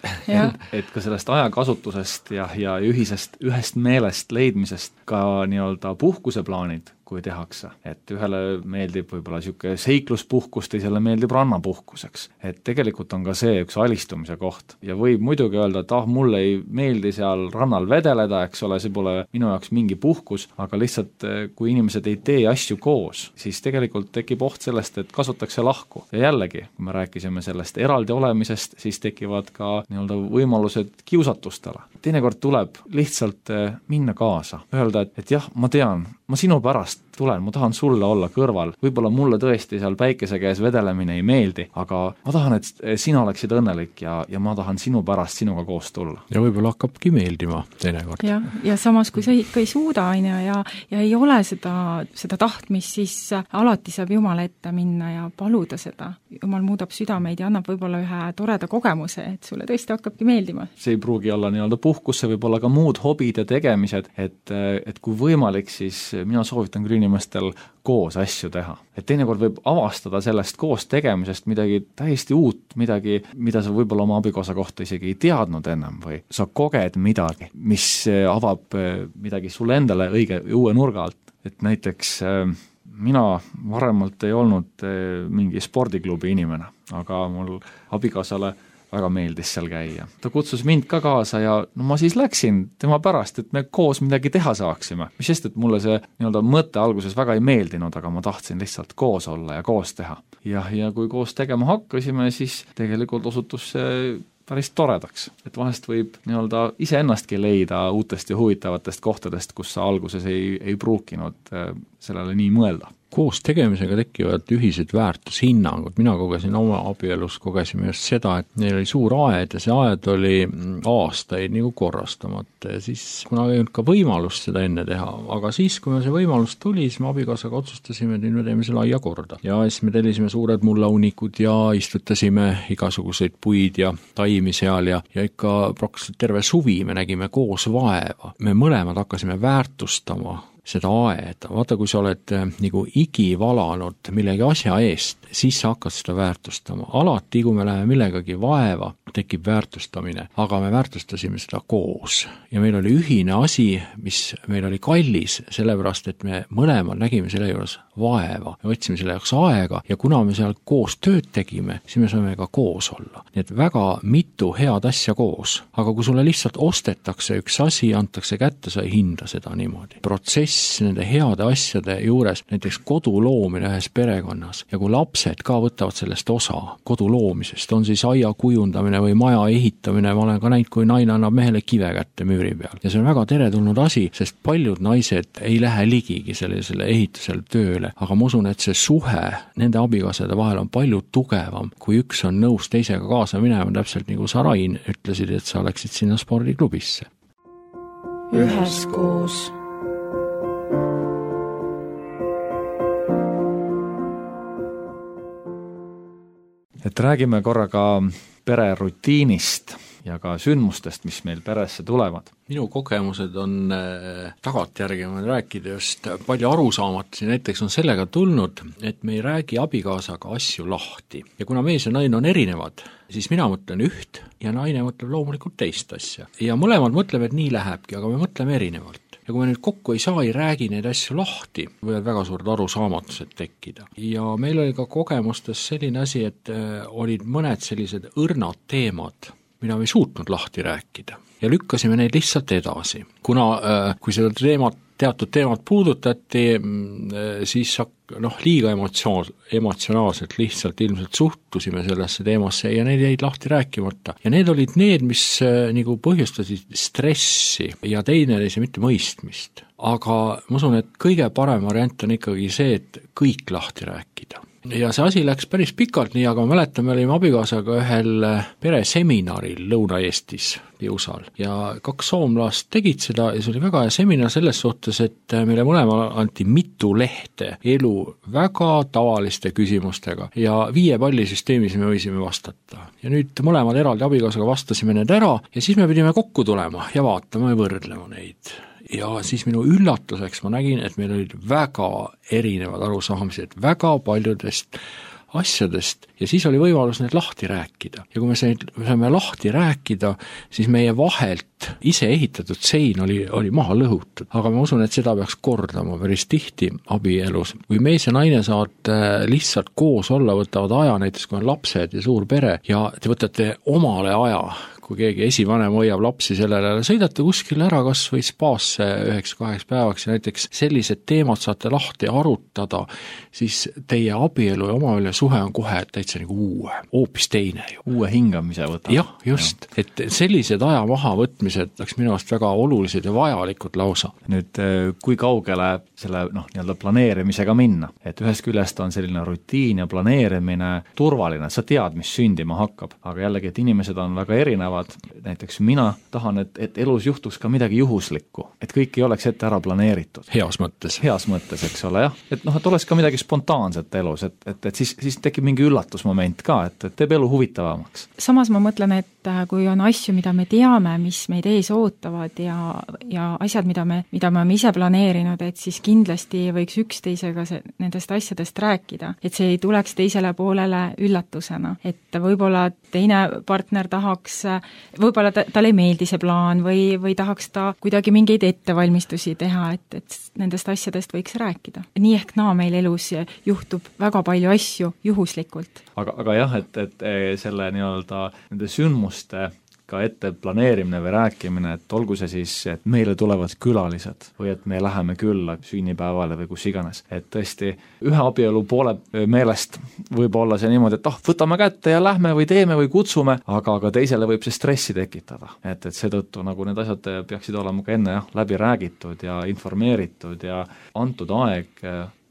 Et ka sellest ajakasutusest ja, ja ühisest, ühest meelest leidmisest ka nii-öelda puhkuseplaanid, kui tehakse. Et ühele meeldib võib-olla niisugune seikluspuhkus, teisele meeldib rannapuhkuseks. Et tegelikult on ka see üks alistumise koht. Ja võib muidugi öelda, et ah, mulle ei meeldi seal rannal vedeleda, eks ole, see pole minu jaoks mingi puhkus, aga lihtsalt kui inimesed ei tee asju koos, siis tegelikult tekib oht sellest, et kasutakse lahku. Ja jällegi, kui me rääkisime sellest eraldi olemisest, siis tekivad ka nii-öelda võimalused kiusatustele. Teinekord tuleb lihtsalt minna kaasa, öelda, et, et jah, ma tean, ma sinu pärast tulen, ma tahan sulle olla kõrval, võib-olla mulle tõesti seal päikese käes vedelemine ei meeldi, aga ma tahan, et sina oleksid õnnelik ja, ja ma tahan sinu pärast sinuga koos tulla.
Ja võib-olla hakkabki meeldima teinekord.
Ja, ja samas, kui sa ikka ei suuda aine ja, ja ei ole seda, seda tahtmist, siis alati saab Jumala ette minna ja paluda seda. Jumal muudab südameid ja annab võib-olla ühe toreda kogemuse, et sulle tõesti hakkabki meeldima.
See ei pruugi olla nii-öelda puhkus, see võib olla ka muud hobid ja tegemised, et, et kui võimalik, siis mina soovitan küll inimestel koos asju teha. Et teinekord võib avastada sellest koos tegemisest midagi täiesti uut, midagi, mida sa võib-olla oma abikaasa kohta isegi ei teadnud ennem või sa koged midagi, mis avab midagi sulle endale õige uue nurga alt. Et näiteks mina varemalt ei olnud mingi spordiklubi inimene, aga mul abikaasale väga meeldis seal käia. Ta kutsus mind ka kaasa ja no ma siis läksin tema pärast, et me koos midagi teha saaksime. Mis sest, et mulle see nii-öelda mõte alguses väga ei meeldinud, aga ma tahtsin lihtsalt koos olla ja koos teha. Ja, ja kui koos tegema hakkasime, siis tegelikult osutus see päris toredaks. Et vahest võib nii-öelda iseennastki leida uutest ja huvitavatest kohtadest, kus sa alguses ei, ei pruukinud sellele nii mõelda.
Koos tegemisega tekivad ühised väärtushinnangud. Mina kogesin oma abielus, kogesime just seda, et neil oli suur aed ja see aed oli aastaid nagu korrastamata ja siis kuna ei olnud ka võimalust seda enne teha, aga siis, kui me see võimalus tuli, siis me abikaasaga otsustasime, et me teeme selle aia korda. Ja siis me tellisime suured mullaunikud ja istutasime igasuguseid puid ja taimi seal ja, ja ikka praktiliselt terve suvi me nägime koos vaeva. Me mõlemad hakkasime väärtustama seda aeda. Vaata, kui sa oled nagu igi valanud millegi asja eest, siis sa hakkad seda väärtustama. Alati, kui me läheme millegagi vaeva, tekib väärtustamine, aga me väärtustasime seda koos. Ja meil oli ühine asi, mis meil oli kallis, sellepärast, et me mõlemad nägime selle juures vaeva. Me võtsime selle jaoks aega ja kuna me seal koos tööd tegime, siis me saime ka koos olla. Nii et väga mitu head asja koos. Aga kui sulle lihtsalt ostetakse üks asi, antakse kätte, sa ei hinda seda niimoodi. Protsess nende heade asjade juures, näiteks kodu loomine ühes perekonnas ja kui lapsed ka võtavad sellest osa kodu loomisest, on siis aia kujundamine või maja ehitamine, ma olen ka näinud, kui naine annab mehele kive kätte müüri peal ja see on väga teretulnud asi, sest paljud naised ei lähe ligigi sellisele ehitusele tööle, aga ma usun, et see suhe nende abikaasade vahel on palju tugevam, kui üks on nõus teisega kaasa minema, täpselt nagu sa, Rain, ütlesid, et sa läksid sinna spordiklubisse.
Üheskoos.
Et räägime korraga pere rutiinist ja ka sündmustest, mis meil peresse tulevad.
Minu kogemused on äh, tagantjärgi ma rääkida just palju arusaamatusi, näiteks on sellega tulnud, et me ei räägi abikaasaga asju lahti. Ja kuna mees ja naine on erinevad, siis mina mõtlen üht ja naine mõtleb loomulikult teist asja. Ja mõlemad mõtleme, et nii lähebki, aga me mõtleme erinevalt. Ja kui me nüüd kokku ei saa, ei räägi neid asju lahti, võivad väga suured arusaamatused tekkida. Ja meil oli ka kogemustes selline asi, et äh, olid mõned sellised õrnad teemad, mida me ei suutnud lahti rääkida. Ja lükkasime neid lihtsalt edasi. Kuna äh, kui seda teemat, teatud teemat puudutati, äh, siis noh, liiga emotsioon, emotsionaalselt lihtsalt ilmselt suhtusime sellesse teemasse ja need jäid lahti rääkimata. Ja need olid need, mis äh, nagu põhjustasid stressi ja teine oli see mitte mõistmist. Aga ma usun, et kõige parem variant on ikkagi see, et kõik lahti rääkida. Ja see asi läks päris pikalt nii, aga ma mäletan, me olime abikaasaga ühel pereseminaril Lõuna-Eestis Piusal ja kaks soomlast tegid seda ja see oli väga hea seminar selles suhtes, et meile mõlema anti mitu lehte elu väga tavaliste küsimustega ja viie pallisüsteemis me võisime vastata. Ja nüüd mõlemad eraldi abikaasaga vastasime need ära ja siis me pidime kokku tulema ja vaatama ja võrdlema neid. Ja siis minu üllatuseks ma nägin, et meil olid väga erinevad arusaamised väga paljudest asjadest ja siis oli võimalus need lahti rääkida. Ja kui me saime lahti rääkida, siis meie vahelt ise ehitatud sein oli, oli maha lõhutud. Aga ma usun, et seda peaks kordama päris tihti abielus. Kui mees ja naine saad lihtsalt koos olla, võtavad aja, näiteks kui on lapsed ja suur pere ja te võtate omale aja, kui keegi esivanem hoiab lapsi sellele, sõidate kuskil ära kas või spaasse üheks kaheks päevaks ja näiteks sellised teemad saate lahti arutada, siis teie abielu ja omavaheline suhe on kohe täitsa nagu uue, hoopis teine ju.
Uue hingamise võtab.
Jah, just. Ja. Et sellised aja mahavõtmised oleks minu arust väga olulised ja vajalikud lausa.
Nüüd, kui kaugele selle noh, nii-öelda planeerimisega minna? Et ühest küljest on selline rutiin ja planeerimine turvaline, sa tead, mis sündima hakkab, aga jällegi, et inimesed on väga erinevad. Näiteks mina tahan, et, et elus juhtuks ka midagi juhuslikku, et kõik ei oleks ette ära planeeritud.
Heas mõttes.
Heas mõttes, eks ole, jah. Et noh, et oleks ka midagi spontaanset elus, et, et, et siis, siis tekib mingi üllatusmoment ka, et, et teeb elu huvitavamaks.
Samas ma mõtlen, et kui on asju, mida me teame, mis meid ees ootavad ja, ja asjad, mida me, mida me oleme ise planeerinud, et siis kindlasti võiks üksteisega see, nendest asjadest rääkida. Et see ei tuleks teisele poolele üllatusena. Et võib-olla teine partner tahaks võib-olla ta, talle ei meeldi see plaan või, või tahaks ta kuidagi mingeid ettevalmistusi teha, et, et nendest asjadest võiks rääkida. Nii ehk naa meil elus juhtub väga palju asju juhuslikult.
Aga, aga jah, et, et selle nii-öelda nende sündmuste ka ette planeerimine või rääkimine, et olgu see siis, et meile tulevad külalised või et me läheme külla sünnipäevale või kus iganes. Et tõesti, ühe abielu poole meelest võib olla see niimoodi, et ah, võtame kätte ja lähme või teeme või kutsume, aga, aga teisele võib see stressi tekitada. Et, et seetõttu nagu need asjad peaksid olema ka enne jah, läbi räägitud ja informeeritud ja antud aeg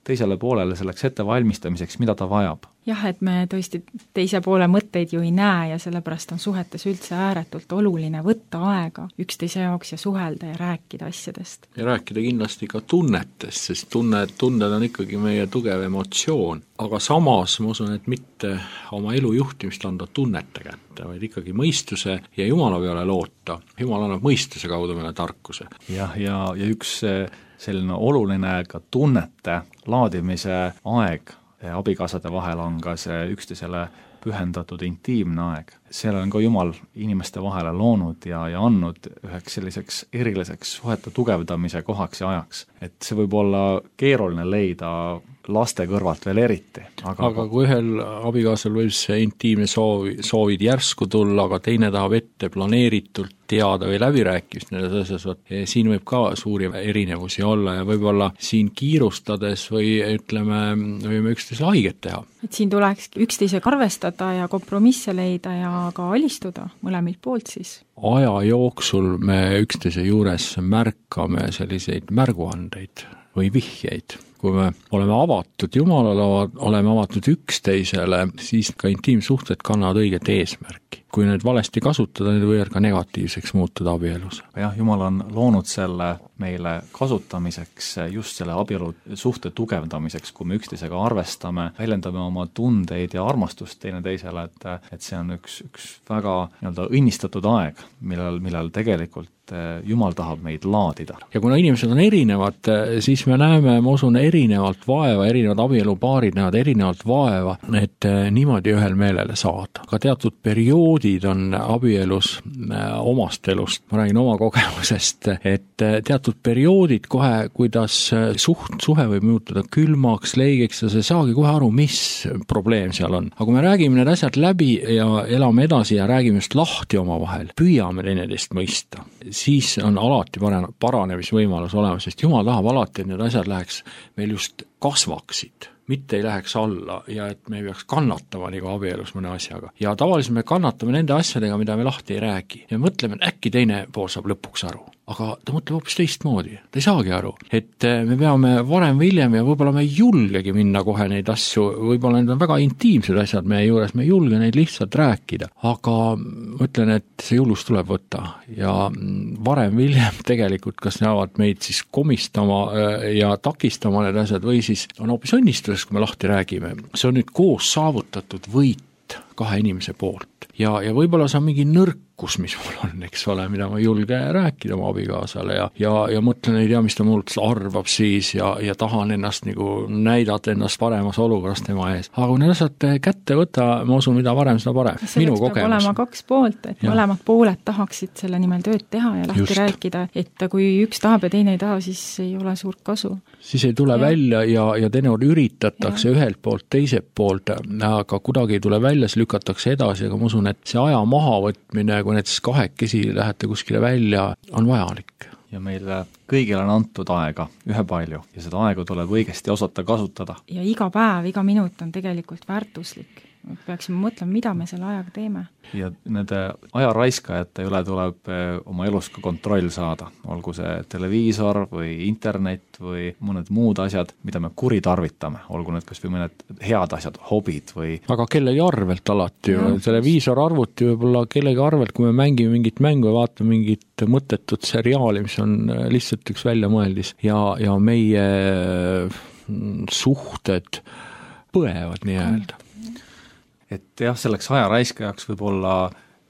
teisele poolele selleks ettevalmistamiseks, mida ta vajab.
Jah, et me tõesti teise poole mõtteid ju ei näe ja sellepärast on suhetes üldse ääretult oluline võtta aega üksteise jaoks ja suhelda ja rääkida asjadest.
Ja rääkida kindlasti ka tunnetest, sest tunne, tunded on ikkagi meie tugev emotsioon. Aga samas ma usun, et mitte oma elu juhtimist anda tunnete kätte, vaid ikkagi mõistuse ja Jumala peale loota. Jumal annab mõistuse kaudu meile tarkuse.
Jah, ja, ja üks selline oluline ka tunnete laadimise aeg abikaasade vahel on ka see üksteisele pühendatud intiimne aeg. Selle on ka Jumal inimeste vahele loonud ja, ja andnud üheks selliseks eriliseks suhete tugevdamise kohaks ja ajaks. Et see võib olla keeruline leida laste kõrvalt veel eriti.
Aga, aga kui ühel abikaasal võib see intiimne soovi, soovid järsku tulla, aga teine tahab ette planeeritult teada või läbirääkimist nendes asjas, siin võib ka suuri erinevusi olla ja võib-olla siin kiirustades või ütleme, võime üksteisele haiget teha.
Et siin tuleks üksteisega arvestada ja kompromisse leida ja ka alistuda mõlemilt poolt siis.
Aja jooksul me üksteise juures märkame selliseid märguandeid või vihjeid. Kui me oleme avatud Jumalale, oleme avatud üksteisele, siis ka intiimsuhted kannavad õiget eesmärki. Kui need valesti kasutada, need võivad ka negatiivseks muutuda abielus.
Jah, Jumal on loonud selle meile kasutamiseks just selle abielu suhte tugevdamiseks, kui me üksteisega arvestame, väljendame oma tundeid ja armastust teine teisele, et, et see on üks, üks väga nii-öelda õnnistatud aeg, millal, millal tegelikult Jumal tahab meid laadida.
Ja kuna inimesed on erinevad, siis me näeme, ma usun, erinevalt vaeva, erinevad abielupaarid näevad erinevalt vaeva, et niimoodi ühel meelele saada. Ka teatud perioodid on abielus omast elust, ma räägin oma kogemusest, et teatud perioodid kohe, kuidas suht, suhe võib muutuda külmaks, leigeks ja see saagi kohe aru, mis probleem seal on. Aga kui me räägime need asjad läbi ja elame edasi ja räägime just lahti oma vahel, püüame teineteist mõista, siis on alati paranemisvõimalus olemas, sest Jumal tahab alati, et need asjad läheks meil just kasvaksid, mitte ei läheks alla ja et me ei peaks kannatama nagu abielus mõne asjaga. Ja tavaliselt me kannatame nende asjadega, mida me lahti ei räägi. Ja mõtleme, et äkki teine pool saab lõpuks aru. Aga ta mõtleb hoopis teistmoodi, ta ei saagi aru, et me peame varem või hiljem ja võib-olla me ei julgegi minna kohe neid asju, võib-olla need on väga intiimsed asjad meie juures, me ei julge neid lihtsalt rääkida, aga mõtlen, et see julgus tuleb võtta ja varem või hiljem tegelikult kas näevad meid siis komistama ja takistama need asjad või siis on hoopis õnnistus, kui me lahti räägime. See on nüüd koos saavutatud võit kahe inimese poolt ja, ja võib-olla see on mingi nõrk tarkus, mis mul on, eks ole, mida ma ei julge rääkida oma abikaasale ja, ja, ja mõtlen, ei tea, mis ta mult arvab siis ja, ja tahan ennast nagu näidata ennast paremas olukorras tema ees. aga kui need asjad kätte võtta, ma usun, mida varem, seda parem. Minu kogemus. Peab
olema kaks poolt, et ja. mõlemad pooled tahaksid selle nimel tööd teha ja lahti Just. rääkida, et kui üks tahab ja teine ei taha, siis ei ole suurt kasu. Siis
ei tule ja. välja ja, ja teinekord üritatakse ja. ühelt poolt, teiselt poolt, aga kuidagi ei tule välja, siis lükatakse edasi, aga ma usun, et see aja mahavõtmine, kui näiteks kahekesi lähete kuskile välja, on vajalik.
Ja meile kõigil on antud aega ühepalju ja seda aega tuleb õigesti osata kasutada.
Ja iga päev, iga minut on tegelikult väärtuslik. Peaksime mõtlema, mida me selle ajaga teeme.
Ja nende ajaraiskajate üle tuleb oma elus ka kontroll saada, olgu see televiisor või internet või mõned muud asjad, mida me kuritarvitame, olgu need kas või mõned head asjad, hobid või
aga kellegi arvelt alati ju, televiisor arvuti võib-olla kellegi arvelt, kui me mängime mingit mängu ja vaatame mingit mõttetut seriaali, mis on lihtsalt üks väljamõeldis ja, ja meie suhted põevad nii-öelda.
Et jah, selleks ajaraiskajaks võib olla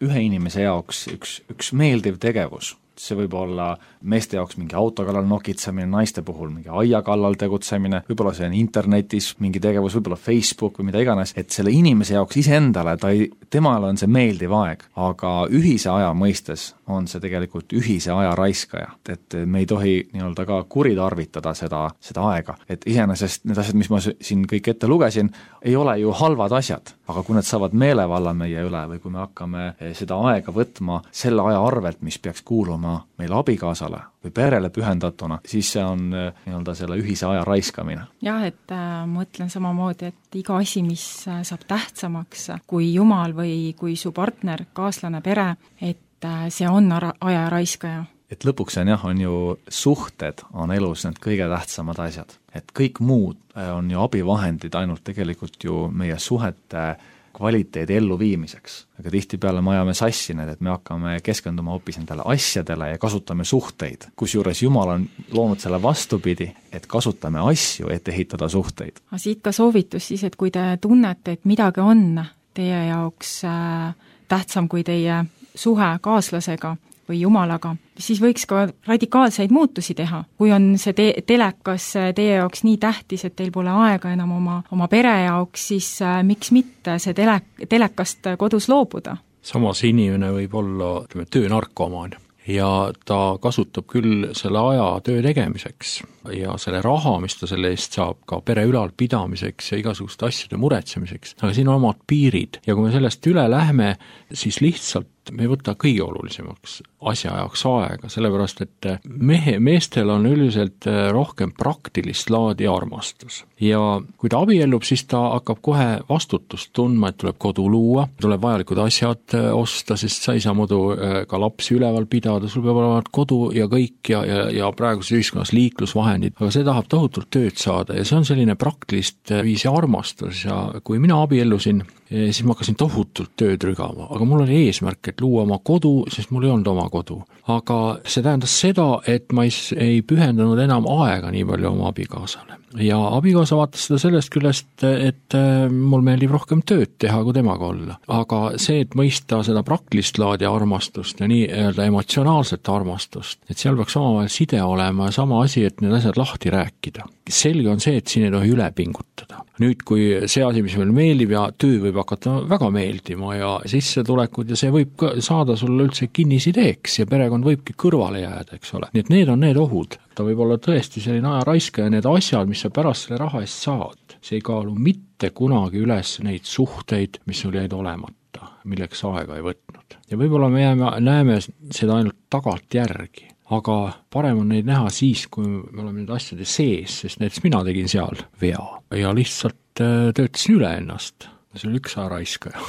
ühe inimese jaoks üks, üks meeldiv tegevus. See võib olla meeste jaoks mingi auto kallal nokitsemine, naiste puhul mingi aia kallal tegutsemine, võib-olla see on internetis mingi tegevus, võib-olla Facebook või mida iganes, et selle inimese jaoks iseendale, ta ei, temale on see meeldiv aeg, aga ühise aja mõistes on see tegelikult ühise aja raiskaja, et me ei tohi nii-öelda ka kuritarvitada seda, seda aega, et iseenesest need asjad, mis ma siin kõik ette lugesin, ei ole ju halvad asjad, aga kui need saavad meelevalla meie üle või kui me hakkame seda aega võtma selle aja arvelt, mis peaks kuuluma meile abikaasale või perele pühendatuna, siis see on nii-öelda selle ühise aja raiskamine.
Jah, et äh, mõtlen samamoodi, et iga asi, mis saab tähtsamaks kui Jumal või kui su partner, kaaslane, pere, et äh, see on aja raiskaja.
Et lõpuks on jah, on ju suhted on elus need kõige tähtsamad asjad. Et kõik muud on ju abivahendid ainult tegelikult ju meie suhete kvaliteedi elluviimiseks. Aga tihtipeale me ajame sassi need, et me hakkame keskenduma hoopis nendele asjadele ja kasutame suhteid. Kusjuures Jumal on loonud selle vastupidi, et kasutame asju, et ehitada suhteid.
Aga siit ka soovitus siis, et kui te tunnete, et midagi on teie jaoks äh, tähtsam kui teie suhe kaaslasega või Jumalaga, siis võiks ka radikaalseid muutusi teha. Kui on see te- telekas teie jaoks nii tähtis, et teil pole aega enam oma, oma pere jaoks, siis äh, miks mitte see tele- telekast kodus loobuda?
Samas inimene võib olla ütleme, töönarkomaan ja ta kasutab küll selle aja töö tegemiseks ja selle raha, mis ta selle eest saab ka pere ülalpidamiseks ja igasuguste asjade muretsemiseks, aga siin on omad piirid ja kui me sellest üle lähme, siis lihtsalt me ei võta kõige olulisemaks asja jaoks aega, sellepärast et mehe, meestel on üldiselt rohkem praktilist laadi armastus. Ja kui ta abiellub, siis ta hakkab kohe vastutust tundma, et tuleb kodu luua, tuleb vajalikud asjad osta, sest sa ei saa muidu ka lapsi üleval pidada, sul peab olema kodu ja kõik ja, ja, ja praeguses ühiskonnas liiklusvahendid, aga see tahab tohutult tööd saada ja see on selline praktilist viisi armastus ja kui mina abiellusin, siis ma hakkasin tohutult tööd rügama, aga mul oli eesmärk, et luua oma kodu, sest mul ei olnud oma kodu. Aga see tähendas seda, et ma ei, ei pühendanud enam aega nii palju oma abikaasale. Ja abikaasa vaatas seda sellest küljest, et mul meeldib rohkem tööd teha, kui temaga olla. Aga see, et mõista seda praktilist laadi armastust ja nii öelda emotsionaalset armastust, et seal peaks omavahel side olema ja sama asi, et need asjad lahti rääkida. Selge on see, et siin ei tohi üle pingutada. Nüüd, kui see asi, mis meil meeldib ja töö võib hakata väga meeldima ja sissetulekud ja see võib ka saada sulle üldse kinnisideeks ja perekond võibki kõrvale jääda, eks ole. Nii et need on need ohud. Ta võib olla tõesti selline ajaraiska ja need asjad, mis sa pärast selle raha eest saad, see ei kaalu mitte kunagi üles neid suhteid, mis sul jäid olemata, milleks aega ei võtnud. Ja võib-olla me jääme, näeme seda ainult tagant järgi. Aga parem on neid näha siis, kui me oleme need asjade sees, sest näiteks mina tegin seal vea ja lihtsalt töötasin üle ennast. See oli üks ajaraiskaja.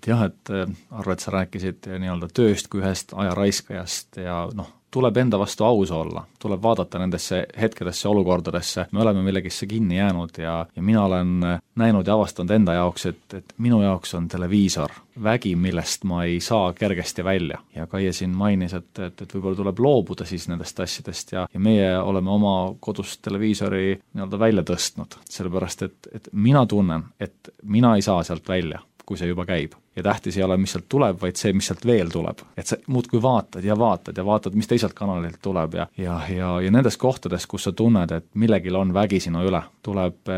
Jah, et arvad, sa rääkisid nii-öelda tööst kui ühest ajaraiskajast ja noh, tuleb enda vastu aus olla, tuleb vaadata nendesse hetkedesse, olukordadesse, me oleme millegisse kinni jäänud ja, ja mina olen näinud ja avastanud enda jaoks, et, et minu jaoks on televiisor vägi, millest ma ei saa kergesti välja. Ja Kaie siin mainis, et, et, et võib-olla tuleb loobuda siis nendest asjadest ja, ja meie oleme oma kodust televiisori nii-öelda välja tõstnud, sellepärast et, et mina tunnen, et mina ei saa sealt välja. kui see juba käib. Ja tähtis ei ole, mis sealt tuleb, vaid see, mis sealt veel tuleb. Et sa muudkui vaatad ja vaatad ja vaatad, mis teisalt kanalilt tuleb ja, ja, ja, ja nendes kohtades, kus sa tunned, et millegil on vägi sinu üle, tuleb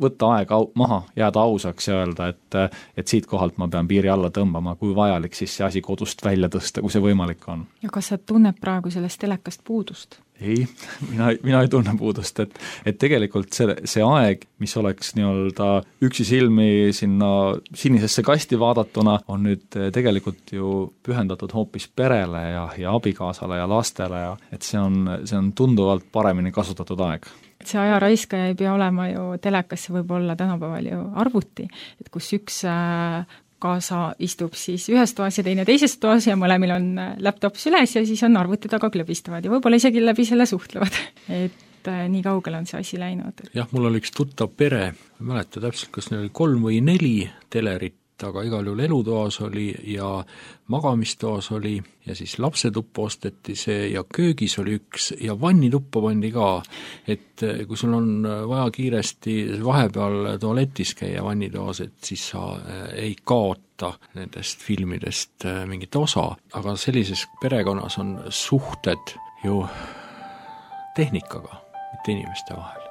võtta aeg au, maha, jääda ausaks ja öelda, et, et siit kohalt ma pean piiri alla tõmbama, kui vajalik siis see asi kodust välja tõsta, kui see võimalik on.
Ja kas sa tunned praegu sellest telekast puudust?
Ei, mina, mina ei tunne puudust, et, et tegelikult see, see aeg, mis oleks nii-öelda üksi silmi sinna sinisesse kasti vaadatuna, on nüüd tegelikult ju pühendatud hoopis perele ja, ja abikaasale ja lastele ja et see on, see on tunduvalt paremini kasutatud aeg.
See aja raiskaja ei pea olema ju telekasse, võib olla tänapäeval ju arvuti, et kus üks kaasa istub siis ühes toas ja teine teises toas ja mõlemil on laptop süles ja siis on arvuti taga klõbistavad ja võib-olla isegi läbi selle suhtlevad. Et nii kaugele on see asi läinud.
Jah, mul oli üks tuttav pere, ma mäleta täpselt, kas neil oli kolm või neli telerit, aga igal juhul elutoas oli ja magamistoas oli ja siis lapsetuppa osteti see ja köögis oli üks ja vannituppa pandi ka, et kui sul on vaja kiiresti vahepeal tualetis käia vannitoas, et siis sa ei kaota nendest filmidest mingit osa, aga sellises perekonnas on suhted ju tehnikaga, mitte inimeste vahel.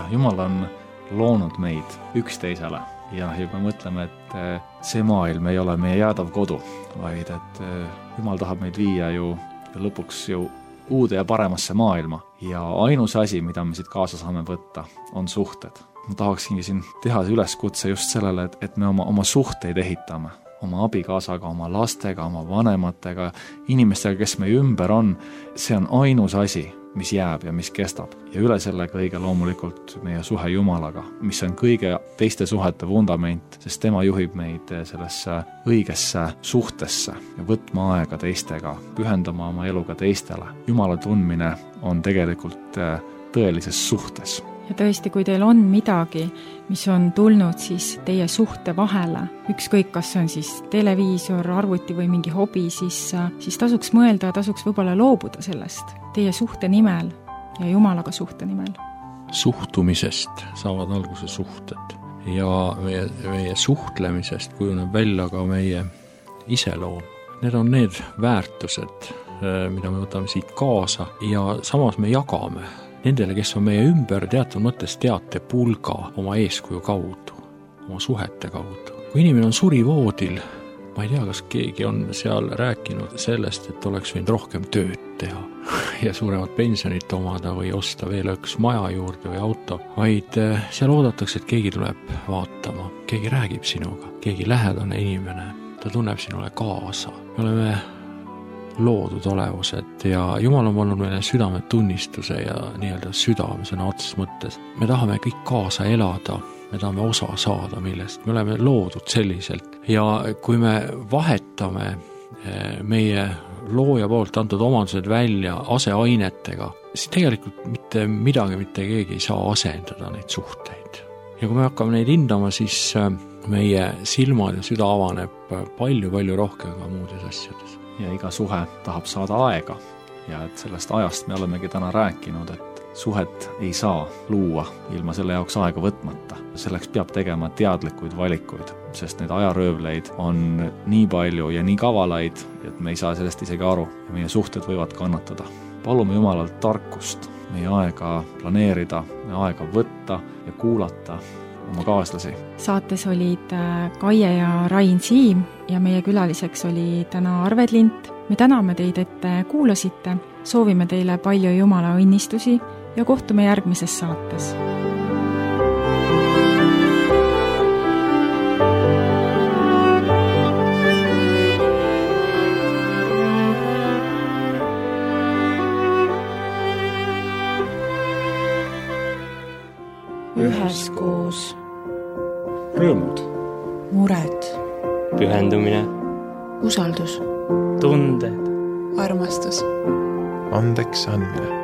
Jumal on loonud meid üksteisele ja, ja kui mõtleme, et see maailm ei ole meie jäädav kodu, vaid et Jumal tahab meid viia ju lõpuks ju uude ja paremasse maailma ja ainus asi, mida me siit kaasa saame võtta, on suhted. Ma tahaksingi siin teha üleskutse just sellele, et, et me oma, oma suhteid ehitame, oma abikaasaga, oma lastega, oma vanematega, inimestega, kes meie ümber on, see on ainus asi, mis jääb ja mis kestab. Ja üle selle kõige loomulikult meie suhe Jumalaga, mis on kõige teiste suhete vundament, sest tema juhib meid sellesse õigesse suhtesse ja võtma aega teistega, pühendama oma eluga teistele. Jumala tundmine on tegelikult tõelises suhtes.
Ja tõesti, kui teil on midagi, mis on tulnud siis teie suhte vahele, ükskõik kas on siis televiisor, arvuti või mingi hobi, siis, siis tasuks mõelda ja tasuks võib-olla loobuda sellest teie suhte nimel ja Jumalaga suhte nimel.
Suhtumisest saavad alguse suhted ja meie, meie suhtlemisest kujuneb välja ka meie iseloom. Need on need väärtused, mida me võtame siit kaasa ja samas me jagame nendele, kes on meie ümber teatud mõttes teate pulga oma eeskuju kaudu, oma suhete kaudu. Kui inimene on surivoodil, ma ei tea, kas keegi on seal rääkinud sellest, et oleks võinud rohkem tööd teha ja suuremat pensionit omada või osta veel üks maja juurde või auto, vaid seal oodatakse, et keegi tuleb vaatama, keegi räägib sinuga, keegi lähedane inimene, ta tunneb sinule kaasa. Me oleme loodud olevused ja Jumal on pannud meile südametunnistuse ja nii-öelda südame sõna otseses mõttes. Me tahame kõik kaasa elada, me tahame osa saada millest, me oleme loodud selliselt ja kui me vahetame meie looja poolt antud omandused välja aseainetega, siis tegelikult mitte midagi, mitte keegi ei saa asendada neid suhteid. Ja kui me hakkame neid hindama, siis meie silmad ja süda avaneb palju-palju rohkem ka muudes asjades.
Ja iga suhe tahab saada aega ja et sellest ajast me olemegi täna rääkinud, et suhet ei saa luua ilma selle jaoks aega võtmata. Selleks peab tegema teadlikuid valikuid, sest neid ajaröövleid on nii palju ja nii kavalaid, et me ei saa sellest isegi aru ja meie suhted võivad kannatada. Palume Jumalalt tarkust, meie aega planeerida, meie aega võtta ja kuulata oma kaaslasi.
Saates olid Kaie ja Rain Siim ja meie külaliseks oli täna Arved Lint. Me täname teid, et kuulasite, soovime teile palju Jumala õnnistusi ja kohtume järgmises saates.
Üheskoos.
Rõõmud.
Mured.
Pühendumine.
Usaldus.
Tunded.
Armastus.
Andeks andmine.